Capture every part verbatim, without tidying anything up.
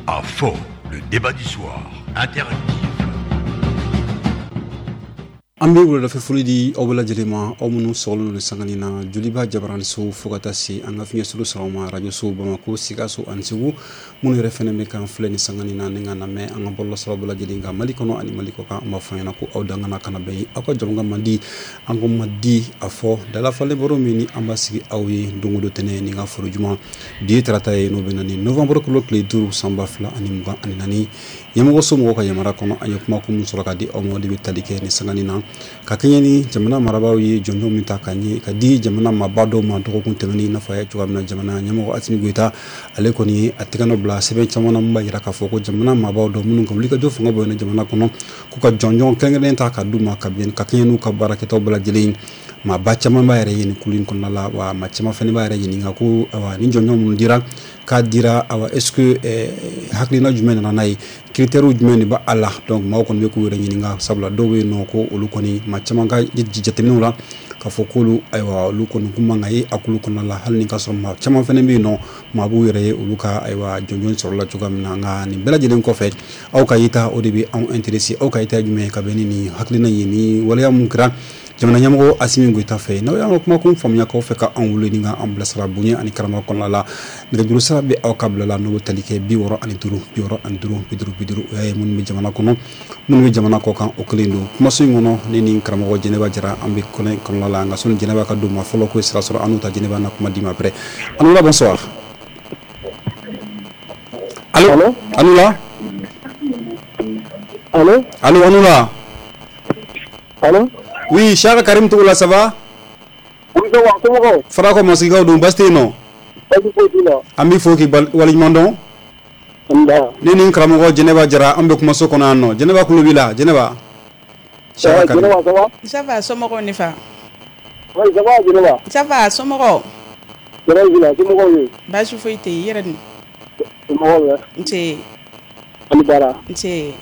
A fɔ, le débat du soir, interactif. An bɛ wuladafɛ foli di aw bɛɛ lajɛlen ma, aw minnu sɔgɔlen don sangani na Joliba Jabaraniso, fo ka taa se an ka fiɲɛsuru sɔrɔ ma radio Bamako, Sikaso ani Segu, minnu yɛrɛ fɛnɛ bɛ kan filɛ ni sangani na ni ka lamɛn an ka bɔlɔlɔsiraw bɛɛ lajɛlen kan Mali kɔnɔ ani Mali kɔ kan. An b'a fɔ ɲɛna ko aw dangana kana bɛn aw ka jɔnkan man di, an ko man di a fɔ dalafalen baro min ni an b'a sigi aw ye don o don tɛnɛ ni ka foro juma. Bi ye tarata ye, n'o bɛ na ni novembre kalo tile duuru san ba fila ani mugan ani naani. Ɲɛmɔgɔ so mɔgɔw ka yamaruya kɔnɔ, an ye kuma kun sɔrɔ ka di aw ma, o de bɛ tali kɛ ni sangani na ka kɛɲɛ ni jamana marabaaw ye jɔnjɔn min ta ka ɲɛ ka di jamana maaba dɔw ma dɔgɔkun tɛmɛnen. I n'a fɔ a ye cogoya min na, jamana ɲɛmɔgɔ Asimi Goyita, ale kɔni ye a tɛgɛ nɔ bila sɛbɛn caman na min b'a jira k'a fɔ ko jamana maabaw dɔw minnu ka wulikajɔ fanga bonyana jamana kɔnɔ, k'u ka jɔnjɔn kɛrɛnkɛrɛnnen ta ka d'u ma ka bɛn ka kɛɲɛ n'u ka baarakɛtaw bɛɛ lajɛlen. Maaba caman b'a yɛrɛ ye nin kulu in kɔnɔna la, wa maa caman fana b'a yɛrɛ ɲininka ko awa ni jɔnjɔn minnu dira k'a dira, awa est ce que eh, hakilina jumɛn nana n'a ye, critères jumɛn de b'a la? Donc maaw kɔni bɛ k'u yɛrɛ ɲininka, sabula dɔw bɛ yen nɔ ko olu kɔni, maa caman ka jateminɛw la k'a fɔ k'olu, ayiwa, olu kɔni kun man ka ye a kulu kɔnɔna la, hali ni ka sɔrɔ maa caman fana bɛ yen nɔ maa b'u yɛrɛ ye olu ka, ayiwa, jɔnjɔn sɔrɔla cogoya min na. Nka nin bɛɛ lajɛlen kɔfɛ, aw ka yeta, o de bɛ anw intéressé. Aw ka yeta ye jumɛn ye ka bɛn ni nin hakilina ye, ni waleya mun kɛra jamana ɲɛmɔgɔ Asimi Goyita fɛ? N'aw y'an ka kumakun faamuya k'aw fɛ ka anw wele ni ka an bilasira bonya ani karama kɔnɔna la, nɛgɛjuru sira bɛ aw ka bila la, n'o bɛ tali kɛ bi wɔɔrɔ ani duuru bi wɔɔrɔ ani duuru bi duuru bi duuru. O y'a ye minnu bɛ jamana kɔnɔ, minnu bɛ jamana kɔ kan, o kelen don. Kumaso in kɔnɔ, ne ni karamɔgɔ Jɛnɛba Jara, an bɛ kɔnɛ kɔnɔna la. Nka sɔnni Jɛnɛba ka don ma fɔlɔ, ko sira sɔrɔ an n'u ta Jɛnɛba na kuma di ma après. Anula, bonsoir. Allo, Anula. Allo. Allo, Anula. Allo. Oui, Chaka Karim Togola, ça va? Oui, ça va, somɔgɔw? Farako Masigaw don, baasi tɛ yen nɔ? Baasi foyi t'u la. An b'i fo k'i waleɲuman dɔn. Nba. Ne ni karamɔgɔ Jɛnɛba Jara, an bɛ kumaso kɔnɔ yan nɔ. Jɛnɛba kulo b'i la, Jɛnɛba. Chaka Karim. Jɛnɛba, ça va? Ça va, somɔgɔw ne fa? Oui, ça va, Jɛnɛba. Ça va, somɔgɔw? Jɛnɛba b'i la, somɔgɔw ye? Baasi foyi tɛ yen, i yɛrɛ dun? Somɔgɔw bɛ? Nse. An ni baara. Nse.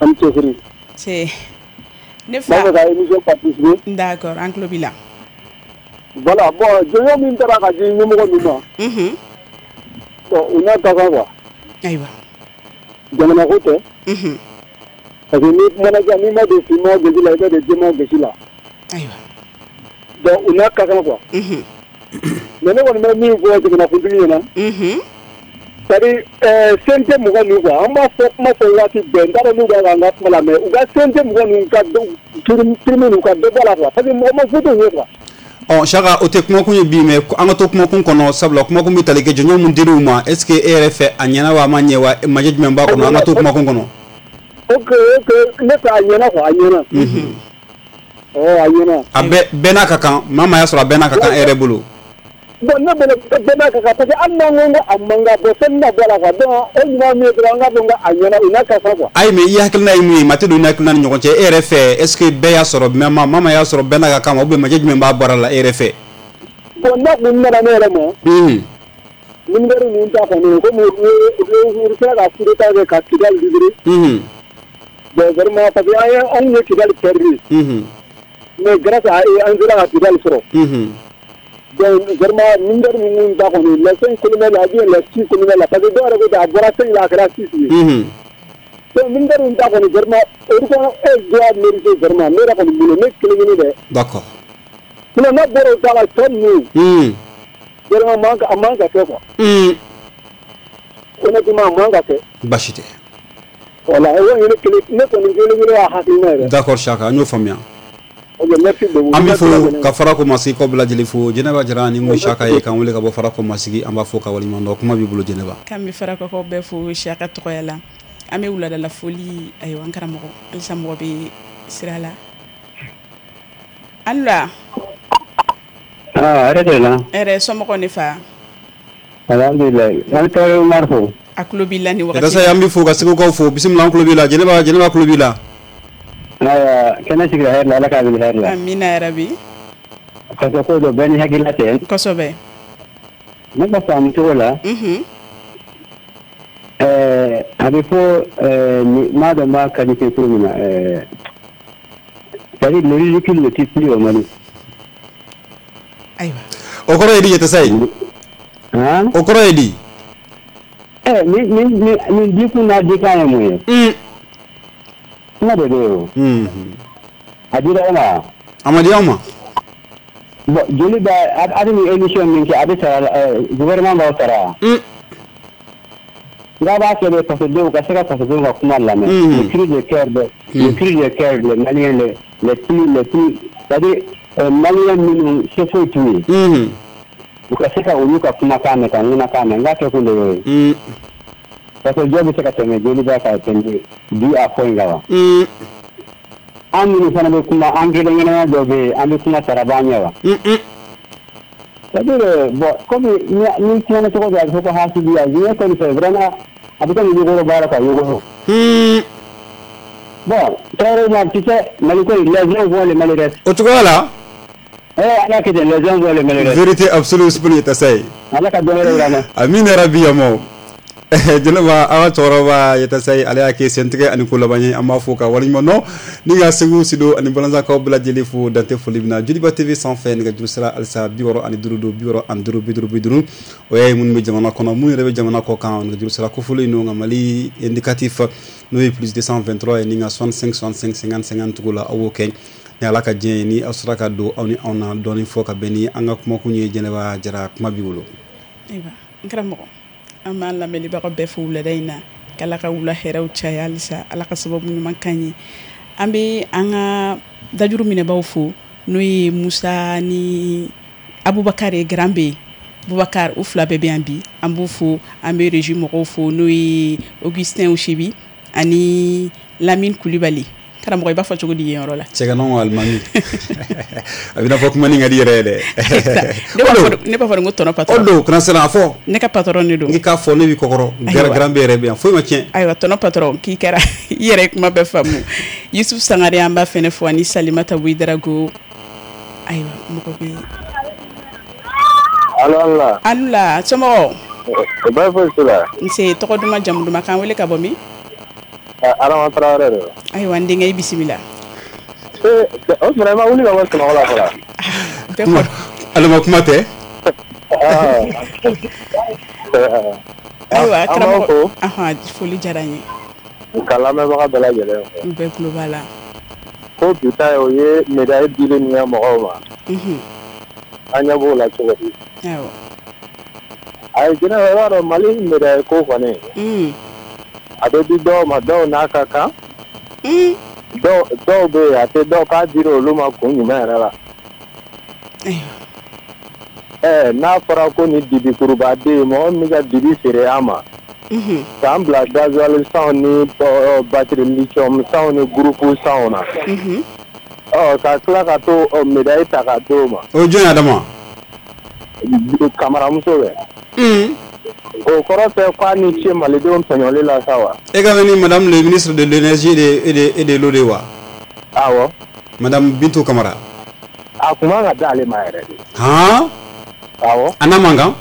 An ni cɛsiri. Nse. Ne fa. N b'a fɛ ka émission participer. D'accord, an tulo b'i la. Voilà, bon, jɔnjɔn min taara ka di ɲɛmɔgɔ ninnu ma. Unhun. Bon, u n'a ka kan quoi. Ayiwa. Jamana ko tɛ. Unhun. Parce que n'i kumana sisan, n'i ma don finman gosi la, i bɛ don jɛman gosi la. Ayiwa. Donc u n'a ka kan quoi. Unhun. Mais ne kɔni bɛ min fɔ jamanakuntigi ɲɛna. Unhun. C'est-à-dire euh, C N T mɔgɔ ninnu quoi, an b'a fɔ kuma fɔ waati bɛɛ, n t'a dɔn n'u b'a k'an ka kuma la, mais u ka C N T mɔgɔ ninnu ka prime ninnu ka dɔ bɔ a la quoi, parce que mɔgɔ ma foyi t'u ye quoi. Ɔ Chaka, o tɛ kumakun ye bi, mais an ka to kumakun kɔnɔ, sabula kumakun bɛ tali kɛ jɔnjɔn mun dir'u ma. Est ce que e yɛrɛ fɛ a ɲɛna wa a ma ɲɛ wa, majɛ jumɛn b'a kɔnɔ? An ka to kumakun kɔnɔ. Ok ok, ne fɛ a ɲɛna quoi, a ɲɛna. Unhun. Ɔ a ɲɛna. A bɛɛ bɛɛ n'a ka kan, maa maa y'a sɔrɔ a bɛɛ n'a ka kan e yɛrɛ bolo. Bon, ne bolo bɛɛ n'a ka kan, parce que hali n'an ko ko a man kan, bon, fɛn bɛna bɔ a la quoi, donc o ɲuman min ye dɔrɔn, an k'a fɔ ko a ɲɛna, u n'a ka kan quoi. Ayi, mais i hakilina ye mun ye? Maa tɛ don i hakilina ni ɲɔgɔn cɛ. E yɛrɛ fɛ, est ce que bɛɛ y'a sɔrɔ, maa maa y'a sɔrɔ bɛɛ n'a ka kan wa, ou bien majɛ jumɛn b'a baara la e yɛrɛ fɛ? Bon, n'a kun nana ne yɛrɛ ma. Unhun. Militaire ninnu ta kɔni, komi u u sera ka coup d'état kɛ ka Kidali libéré. Unhun. Bon, vraiment, parce que an ye anw ye Kidali perdu. Unhun. Mais grâce à eux, an sera ka Kidali sɔrɔ. Unhun. Donc vraiment, militaire ninnu ta kɔni, les cinq colonels là, ou bien les six colonels là, parce que dɔw yɛrɛ ko ten a bɔra cinq la, a kɛra six ye. Unhun. Donc militaire ninnu ta kɔni, vraiment, olu kɔni e doit mériter vraiment, ne yɛrɛ kɔni bolo, ne kelen kelen dɛ. D'accord. Sinon n'a bɔra o ta la, tɔ ninnu. Unhun. Vraiment, a man a man ka kɛ quoi. Unhun. Honnêtement, a man ka kɛ. Baasi tɛ. Voilà, o ye ne kelen, ne kɔni kelen kelen y'a hakilina yɛrɛ. D'accord Chaka, an y'o faamuya. Ok, merci beaucoup. An bɛ fo ka Farako Masigi kɔ bɛɛ lajɛlen fo. Jɛnɛba Jara ni ko Chaka ye k'an wele ka bɔ Farako Masigi, an b'a fo ka waleɲuman dɔn. Kuma b'i bolo Jɛnɛba. K'an bɛ Farakɔkaw bɛɛ fo Chaka tɔgɔya la. An bɛ wuladala foli, ayiwa, an karamɔgɔ halisa mɔgɔ bɛ sira la. Alula. Ah, hɛrɛ de la. Hɛrɛ, somɔgɔw ne fa? Alhamdulilayi. An taara Umar fo. A tulo b'i la nin wagati. Yatasa, an b'i fo ka Segukaw fo. Bisimila, an tulo b'i la. Jɛnɛba, Jɛnɛba tulo b'i la. Ayiwa, kɛnɛ sigira hɛrɛ la, Ala k'a wuli hɛrɛ la. Amina yarabi. Parce que ko dɔ bɛɛ ni hakilila tɛ. Kosɛbɛ. Ne ka faamu cogo la. Unhun. Ɛɛ a bɛ fɔ ɛɛ maa dɔ b'a qualifié cogo min na, ɛɛ c'est-à-dire le ridicule ne tue plus au Mali. Ayiwa. O kɔrɔ ye di, Yatasa ye? Han? O kɔrɔ ye di? Eh ni ni ni ni dikun n'a dikan ye mun ye? Mm. Kuma de bɛ yen o. Mhm. A dira e ma. A ma di aw ma. Bon, joli b'a a bɛ nin émission min kɛ, a bɛ sara, gouvernement b'aw sara. Mm. Nka b'a kɛ de fasodenw ka se ka fasodenw ka kuma lamɛn. Mm. Le cri de cœur de le cri de cœur des Maliens les les plus les plus c'est-à-dire euh, Maliens minnu se foyi t'u ye. Mhm. U ka se ka olu ka kumakan mɛn, ka ŋunakan mɛn, n k'a kɛ kun de y'o ye. Mm. Parce que jɔn bɛ se ka tɛmɛ joli b'a ka tɛmɛ bi a fɔ in kan wa? Mm. An minnu fana bɛ kuma, an kelen kelenna dɔ bɛ yen, an bɛ kuma sara b'an ɲɛ wa? Mm. C'est-à-dire, bon, comme ni ni kumana cogo dɔ, a bɛ fɔ ko hasidiya, diɲɛ kɔni fɛ vraiment a bɛ komi yogoro baara quoi, yogoro. Mm. Bon, Traoré, tu sais, Mali ko les uns vont, les Mali restent. O cogoya la. Eh, Ala kɛ ten, les uns vont, les Mali restent. Vérité absolue Usumani Yattassaye. Ala ka dɔn wɛrɛ yira an na. Amina rabi yamaw. Jɛnɛba, an ka cɛkɔrɔba Yattassaye, ale y'a kɛ sentigɛ ani ko laban ye, an b'a fo ka waleɲuman dɔn ni ka Segu Sido ani Balanzakaw bɛɛ lajɛlen fo dante foli min na Joliba T V sanfɛ. Nɛgɛjuru sira halisa bi wɔɔrɔ ani duuru don, bi wɔɔrɔ ani duuru, bi duuru bi duuru. O ye minnu bɛ jamana kɔnɔ, minnu yɛrɛ bɛ jamana kɔ kan, nɛgɛjuru sira kofɔlen don, nka Mali indicatif n'o ye plus deux cent vingt-trois ye, ni ka soixante-cinq soixante-cinq cinquante cinquante tugu la, aw b'o kɛ ni Ala ka diɲɛ ye, ni aw sera ka don aw ni anw na dɔɔni fɔ ka bɛn ni an ka kumakun ye. Jɛnɛba Jara, kuma b'i bolo. Ayiwa n karamɔgɔ, an b'an lamɛnnibaga bɛɛ fo wulada in na, k'Ala ka wula hɛrɛw caya halisa, Ala ka sababu ɲuman k'an ye. An bɛ an ka dajuru minɛbaw fo, n'o ye Musa ni Abubakar ye, Garan bɛ Bubakar, u fila bɛɛ bɛ yan bi, an b'u fo. An bɛ régie mɔgɔw fo, n'o ye Augustin Usebi ani Lamine Kulibali. Karamɔgɔ, i b'a fɔ cogo di yen yɔrɔ la? Cɛ ka nɔgɔn alimami, a bɛna fɔ kuma ni ka di yɛrɛ ye dɛ. Ne b'a fɔ, ne b'a fɔ ko tɔnɔ patron. O don kana siran a fɔ. Ne ka patron de don. N'i k'a fɔ ne b'i kɔkɔrɔ. Garan bɛ yɛrɛ bɛ yan, foyi ma tiɲɛ. Ayiwa tɔnɔ patron, k'i kɛra i yɛrɛ ye kuma bɛɛ faamu. Yusuf Sangare, an b'a fɛnɛ fo, ani Salimata Ouedraogo. Ayiwa mɔgɔ bɛ. Alo, ala. Alula, somɔgɔw? Baasi foyi t'u la. Nse, tɔgɔ duman, jamu duman, k'an wele ka bɔ min? Adama Traoré de don. Ayiwa n denkɛ, i bisimila. Ee, o tuma i ma wuli ka bɔ sunɔgɔ la fɔlɔ? Bɛɛ kɔrɔ. Alima, kuma tɛ. Ayiwa karamɔgɔ, ahan, foli diyara n ye. Ka lamɛnbaga bɛɛ lajɛlen fo. U bɛɛ tulo b'a la. Ko bi ta ye, o ye médaille dili min kɛ mɔgɔw ma. Unhun. An ɲɛ b'o la cogo di? Awɔ. Ayi Jɛnɛba, i b'a dɔn Mali médaille ko kɔni. Un. A bɛ di dɔw ma, dɔw n'a ka kan. Un. Dɔw dɔw bɛ yen, a tɛ dɔw k'a dira olu ma kun jumɛn yɛrɛ la? Ayiwa. Ɛɛ n'a fɔra ko ni dibikuruba den, mɔgɔ min bɛ ka dibi feere an ma. Unhun. K'an bila gasoil sanw ni batterie lithium sanw ni groupe sanw na. Unhun. Ɔ ka tila ka to médaille ta ka d'o ma. O ye jɔn ye Adama? Kamaramuso bɛ. Un. O kɔrɔ tɛ k'a ni ce malidenw tɔɲɔli la sa wa? E ka ni madame le ministre de l'énergie et de et de et de l'eau de wa? Awɔ. Madame Bintou Kamara. A kun man ka d'ale ma yɛrɛ de. Han? Awɔ. A n'a man kan?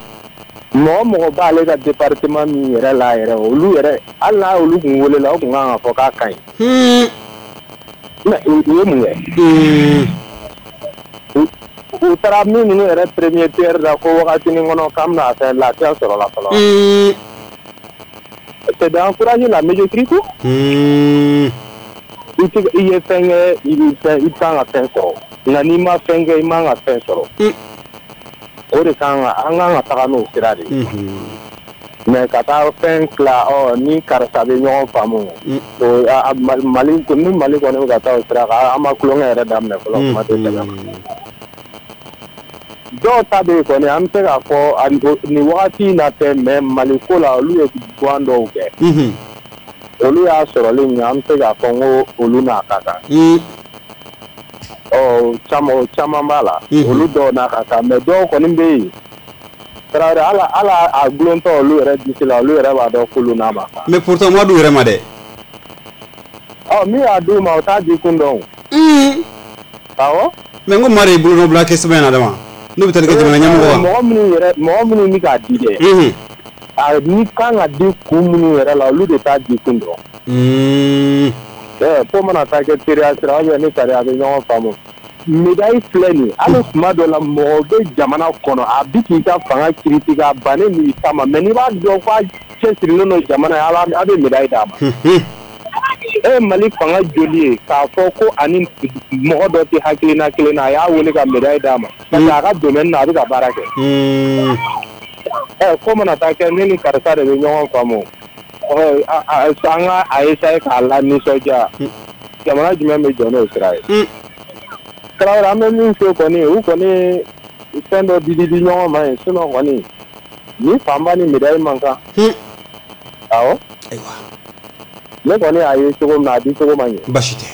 Mɔgɔ mɔgɔ b'ale ka département min yɛrɛ la yɛrɛ, olu yɛrɛ, hali n'a olu kun welela, o kun kan ka fɔ k'a ka ɲi. Un. Mais u ye mun kɛ? Un. U taara min ninnu yɛrɛ premier pierre da ko wagatinin kɔnɔ k'an bɛna fɛn lafiya sɔrɔ la fɔlɔ. Un. C'est d'encourager la médiocrité. Un. I tɛ i ye fɛn kɛ, i bɛ fɛn, i kan ka fɛn sɔrɔ. Nka n'i ma fɛn kɛ, i man ka fɛn sɔrɔ. O de kan ka an kan ka taga n'o sira de ye. Mais ka taa fɛn tila, ɔ ni karisa bɛ ɲɔgɔn faamu. O Mali ni Mali kɔni bɛ ka taa o sira kan, an ma tulonkɛ yɛrɛ daminɛ fɔlɔ, kuma tɛ sɛbɛn ma. Dɔw ta bɛ yen kɔni, an bɛ se k'a fɔ nin wagati in na tɛ, mais Mali ko la, olu ye guwan dɔw kɛ. Olu y'a sɔrɔli min, an bɛ se k'a fɔ n ko olu n'a ka kan. Ɔ caman caman b'a la, olu dɔw n'a ka kan, mais dɔw kɔni bɛ yen. Tarawele, ala ala a gulontɔ olu yɛrɛ disi la, olu yɛrɛ b'a dɔn k'olu n'a ma kan. Mais pourtant ma d'u yɛrɛ ma dɛ. Ɔ min y'a d'u ma, o t'a di kun dɔn. Awɔ. Mais n ko maa de ye bolonɔ bila kɛ sɛbɛn in na dama. N'o bɛ taa kɛ jamana ɲɛmɔgɔ wa? Mɔgɔ minnu yɛrɛ, mɔgɔ minnu bɛ k'a di dɛ. A ni kan ka di kun minnu yɛrɛ la, olu de t'a di kun dɔn. Ɛɛ ko mana taa kɛ teriya sira, ou bien ni sariya bɛ ɲɔgɔn faamu. Médaille filɛ nin ye, hali tuma dɔ la mɔgɔ bɛ jamana kɔnɔ, a bi k'i ka fanga critiquer, a bannen n'i ta ma, mais n'i b'a dɔn k'a cɛsirilen don jamana ye, a bɛ médaille d'a ma. E Mali fanga joli ye k'a fɔ ko ani mɔgɔ dɔ tɛ hakilina kelen na, a y'a wele ka médaille d'a ma parce que a ka domaine na a bɛ ka baara kɛ. Ɛ ko mana taa kɛ ne ni karisa de bɛ ɲɔgɔn faamu, an ka a essayer k'a la nisɔndiya, jamana jumɛn bɛ jɔ n'o sira ye? Tarawele, an bɛ min fɔ kɔni, u kɔni fɛn dɔ di di ɲɔgɔn ma yen, sinon kɔni ni fanba ni médaille man kan. Awɔ. Ayiwa. Ne kɔni y'a ye cogo min na, a di cogo ma ɲɛ. Baasi tɛ.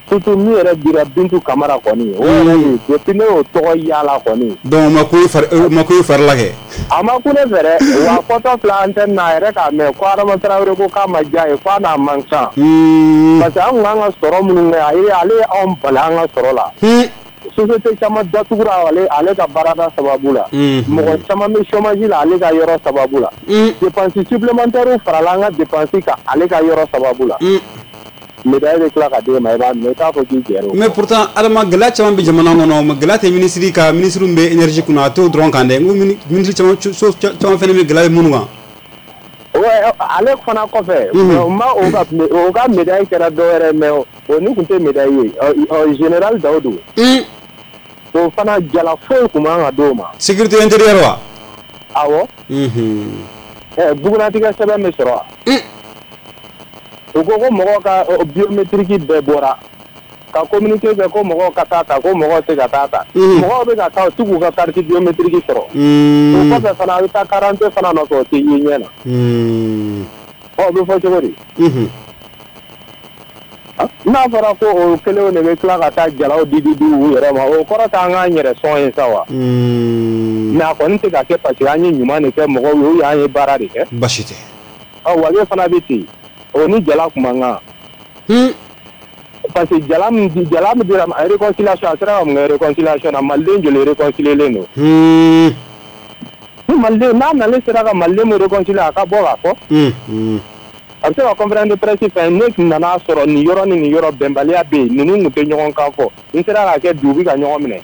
Surtout min yɛrɛ dira Bintu Kamara kɔni, o yɛrɛ de depuis ne y'o tɔgɔ yaala kɔni. Donc o ma ku i fari, o ma ku i fari la kɛ? A ma ku ne fɛ dɛ, wa fɔtɔ filɛ antenne na a yɛrɛ k'a mɛn ko Adama Tarawele ko k'a ma diya ye k'a n'a man kan. Parce que an kun kan ka sɔrɔ minnu kɛ, ayi ale ye anw bali an ka sɔrɔ la. Société caman datugura ale ale ka baarada sababu la. Mɔgɔ caman bɛ chômage la ale ka yɔrɔ sababu la. Dépense supplémentaire farala an ka dépense kan ale ka yɔrɔ sababu la. Médaille bɛ tila ka d'e ma, i b'a minɛ, i t'a fɔ k'i jɛra o. Mais pourtant Adama, gɛlɛya caman bɛ jamana kɔnɔ, mais gɛlɛya tɛ ministre ka ministre min bɛ énergie kunna, a t'o dɔrɔn kan dɛ. N ko ministre caman caman fana bɛ gɛlɛya bɛ minnu kan. Ouais, ale fana kɔfɛ, ma o ka o ka médaille kɛra dɔ wɛrɛ, mais o ni tun tɛ médaille ye, général Daoudou. O fana jala foyi tun man ka d'o ma. Sécurité intérieure wa? Awɔ. Ɛ bugunatigɛ sɛbɛn bɛ sɔrɔ wa? U ko ko mɔgɔw ka biométrique bɛɛ bɔra ka communiqué kɛ ko mɔgɔw ka taa ta, ko mɔgɔw tɛ ka taa ta. Mɔgɔw bɛ ka taa, u tɛ k'u ka carte biométrique sɔrɔ. O kɔfɛ fana a bɛ taa carte fana nɔfɛ, o tɛ ye ɲɛ na. Ɔ o bɛ fɔ cogo di? N'a fɔra ko o kelenw de bɛ tila ka taa jalaw di di di u yɛrɛ ma, o kɔrɔ t'an k'an yɛrɛ sɔn ye sa wa? Mais a kɔni tɛ ka kɛ parce que an ye ɲuman de kɛ mɔgɔw ye, ou an ye baara de kɛ. Baasi tɛ. Ɔ wage fana bɛ ten, o ni jala kun man kan. Parce que jala min di jala min dira réconciliation, a sera ka mun kɛ réconciliation na? Maliden joli réconcilier don? Ni maliden n'a nalen sera ka maliden min réconcilier, a ka bɔ k'a fɔ. A bɛ se ka conférence de presse fɛn, ne nana sɔrɔ nin yɔrɔ ni nin yɔrɔ bɛnbaliya bɛ yen, ninnu tun tɛ ɲɔgɔn kan fɔ, n sera k'a kɛ bi u bɛ ka ɲɔgɔn minɛ,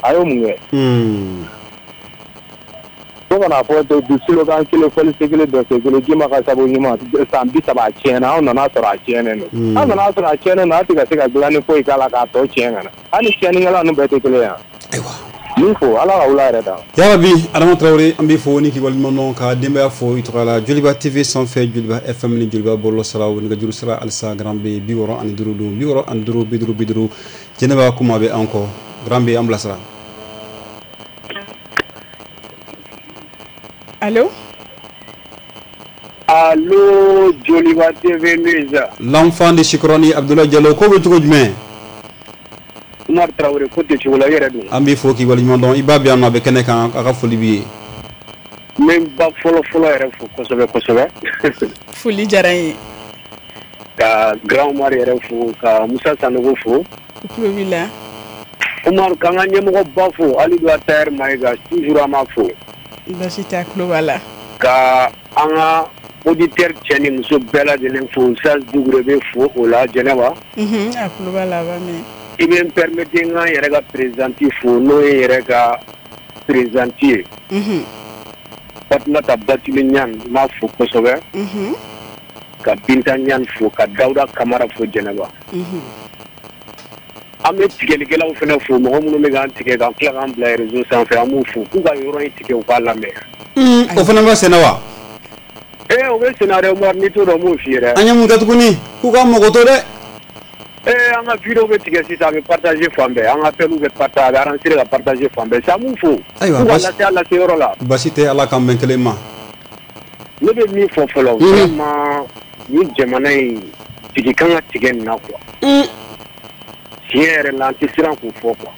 a y'o mun kɛ? Fo kana fɔ du slogan kelen fɔli se kelen dɔ se kelen, ji ma ka sabu ɲuman san bi saba a tiɲɛna, anw nana sɔrɔ a tiɲɛnen don. An nana sɔrɔ a tiɲɛnen don, a tɛ ka se ka dilanni foyi k'a la k'a tɔ tiɲɛ ka na. Hali tiɲɛnikɛla ninnu bɛɛ tɛ kelen ye wa? Ayiwa. Min fo Ala ka wula yɛrɛ da. Yarabi Adama Tarawele, an b'i fo ni k'i waleɲuman dɔn ka denbaya fo i tɔgɔ la. Joliba T V sanfɛ, Joliba F M ni Joliba bɔlɔlɔ siraw, nɛgɛjuru sira halisa Grand B bi wɔɔrɔ ani duuru don bi wɔɔrɔ ani duuru bi duuru bi duuru. Jɛnɛba kuma bɛ an kɔ, Grand B an bilasira. Allô? Allô, Joliba T V News. L'enfant de Sikoroni, Abdoulaye Diallo, ko bɛ cogo jumɛn? Umar Traoré, ko tɛ cogo la, i yɛrɛ dun? An b'i fo k'i waleɲuman dɔn, i b'a bi yan nɔ, a bɛ kɛnɛ kan, a ka foli b'i ye. N bɛ n ba fɔlɔ fɔlɔ yɛrɛ fo kosɛbɛ kosɛbɛ. Foli diyara n ye. Ka Grand Umar yɛrɛ fo, ka Musa Sanogo fo. U tulo b'i la. Umar, k'an ka ɲɛmɔgɔba fo, Alidu Atayɛri Mayiga, toujours an b'a fo. Baasi tɛ, a tulo b'a la. Ka an ka auditeur cɛ ni muso bɛɛ lajɛlen fo, Saz Dugure bɛ fo o la Jɛnɛba. Unhun, a tulo b'a la, a b'a mɛn. I bɛ n permettre n ka n yɛrɛ ka présidente fo, n'o ye n yɛrɛ ka présidente ye. Unhun. Fatumata Batuli Ɲan, n b'a fo kosɛbɛ. Unhun. Ka Binta Ɲan fo, ka Dawuda Kamara fo Jɛnɛba. Unhun. An bɛ tigɛlikɛlaw fana fo, mɔgɔ minnu bɛ k'an tigɛ k'an tila k'an bila réseau sanfɛ, an b'u fo k'u ka yɔrɔ in tigɛ u k'a lamɛn. O fana bɛ senna wa? Ee o bɛ senna dɛ Umar, n'i t'o dɔn n b'o f'i ye dɛ. An ye mun kɛ tuguni? K'u ka mɔgɔ to dɛ. Ee an ka vidéo bɛ tigɛ sisan, a bɛ partager fan bɛɛ, an ka appel bɛ partager, a bɛ enregistrer ka partager fan bɛɛ. Sisan an b'u fo. Ayiwa, k'u ka lase a lase yɔrɔ la. Basi tɛ, Ala k'an bɛn kelen ma. Ne bɛ min fɔ fɔlɔ, vraiment nin jamana in jigi kan ka tigɛ nin na quoi. Tiɲɛ yɛrɛ la, an tɛ siran k'o fɔ quoi.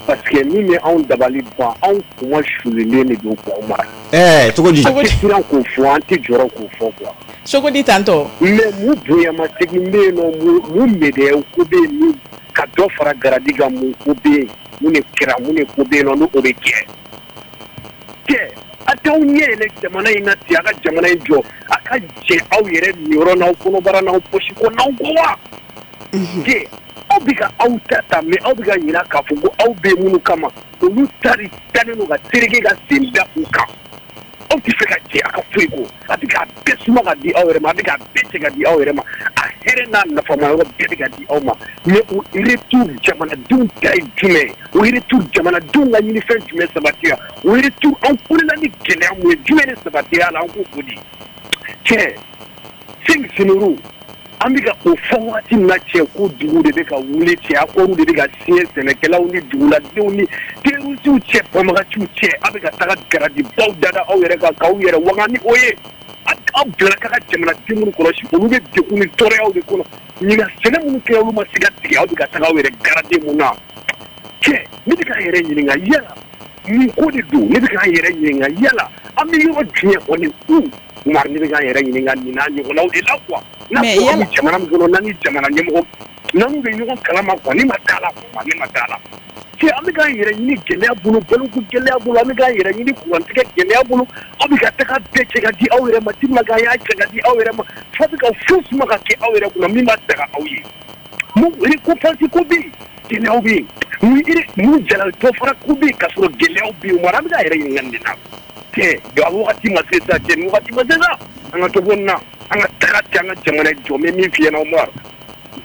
Parce que min bɛ anw dabali ban, anw kuma sulilen de don quoi Umar. Ɛɛ cogo di? An tɛ siran k'o fɔ, an tɛ jɔrɔ k'o fɔ quoi. Cogo di tantɔ? Mais mun bonyamasegin bɛ yen nɔ, mun médaille ko bɛ yen, mun ka dɔ fara garadi kan, mun ko bɛ yen, mun de kɛra, mun de ko bɛ yen nɔ n'o bɛ kɛ. Kɛ a t'aw ɲɛ yɛlɛ jamana in na ten, a ka jamana in jɔ, a ka jɛ aw yɛrɛ niyɔrɔ n'aw kɔnɔbara n'aw poche kɔ n'aw kɔ wa. Kɛ aw bɛ ka aw ta ta, mais aw bɛ ka ɲinɛ k'a fɔ ko aw bɛ minnu kama, olu ta de tannen don ka tereke ka sen da u kan. Aw tɛ fɛ ka jɛ a ka foyi ko a bɛ k'a bɛɛ suma ka di aw yɛrɛ ma, a bɛ k'a bɛɛ cɛ ka di aw yɛrɛ ma, a hɛrɛ n'a nafama yɔrɔ bɛɛ bɛ ka di aw ma. Mais o retour jamanadenw ta ye jumɛn ye? O retour jamanadenw ka ɲinifɛn jumɛn sabatira? O retour an kulela ni gɛlɛya mun ye, jumɛn de sabatira a la? An k'o fɔ di cɛ cinq généraux an bɛ ka o fɔ waati min na cɛ, ko dugu de bɛ ka wuli cɛ, accord de bɛ ka signer sɛnɛkɛlaw ni duguladenw ni terroristes cɛ, banbagaciw cɛ. A bɛ ka taga garadibaw dada aw yɛrɛ kan k'aw yɛrɛ waga ni o ye. Aw bilala ka ka jamanaden minnu kɔlɔsi, olu bɛ degun ni tɔɔrɔyaw de kɔnɔ. Ɲinan sɛnɛ minnu kɛra, olu ma se ka tigɛ. Aw bɛ ka taga aw yɛrɛ garade mun na cɛ? Ne bɛ k'an yɛrɛ ɲininka yala mun ko de don. Ne bɛ k'an yɛrɛ ɲininka yala an bɛ yɔrɔ jumɛn kɔni u Umar, ne bɛ k'an yɛrɛ ɲininka nin n'a ɲɔgɔnnaw de la quoi. N'a fɔra an bɛ jamana min kɔnɔ, n'an ni jamana ɲɛmɔgɔ n'an bɛ ɲɔgɔn kalama quoi, ne ma d'a la quoi, ne ma d'a la. Cɛ, an bɛ k'an yɛrɛ ɲini gɛlɛya bolo, baloko gɛlɛya bolo, an bɛ k'an yɛrɛ ɲini kurantigɛ gɛlɛya bolo. Aw bɛ ka taga bɛɛ cɛ ka di aw yɛrɛ ma, tellement que a y'a cɛ ka di aw yɛrɛ ma, fo a bɛ ka fo suma ka kɛ aw yɛrɛ kunna min b'a daga aw ye. Mun récompense ko bɛ yen, gɛlɛyaw bɛ yen. Mun mun jalaki dɔ fara ko bɛ yen, k'a sɔrɔ gɛlɛyaw bɛ yen. Umar, an bɛ k'an yɛrɛ ɲininka nin de la. Cɛ, a wagati ma se sa cɛ, nin wagati ma se sa. An ka dɔ bɔ nin na, an ka taga cɛ, an ka jamana jɔ. N bɛ min f'i ɲɛna Umar,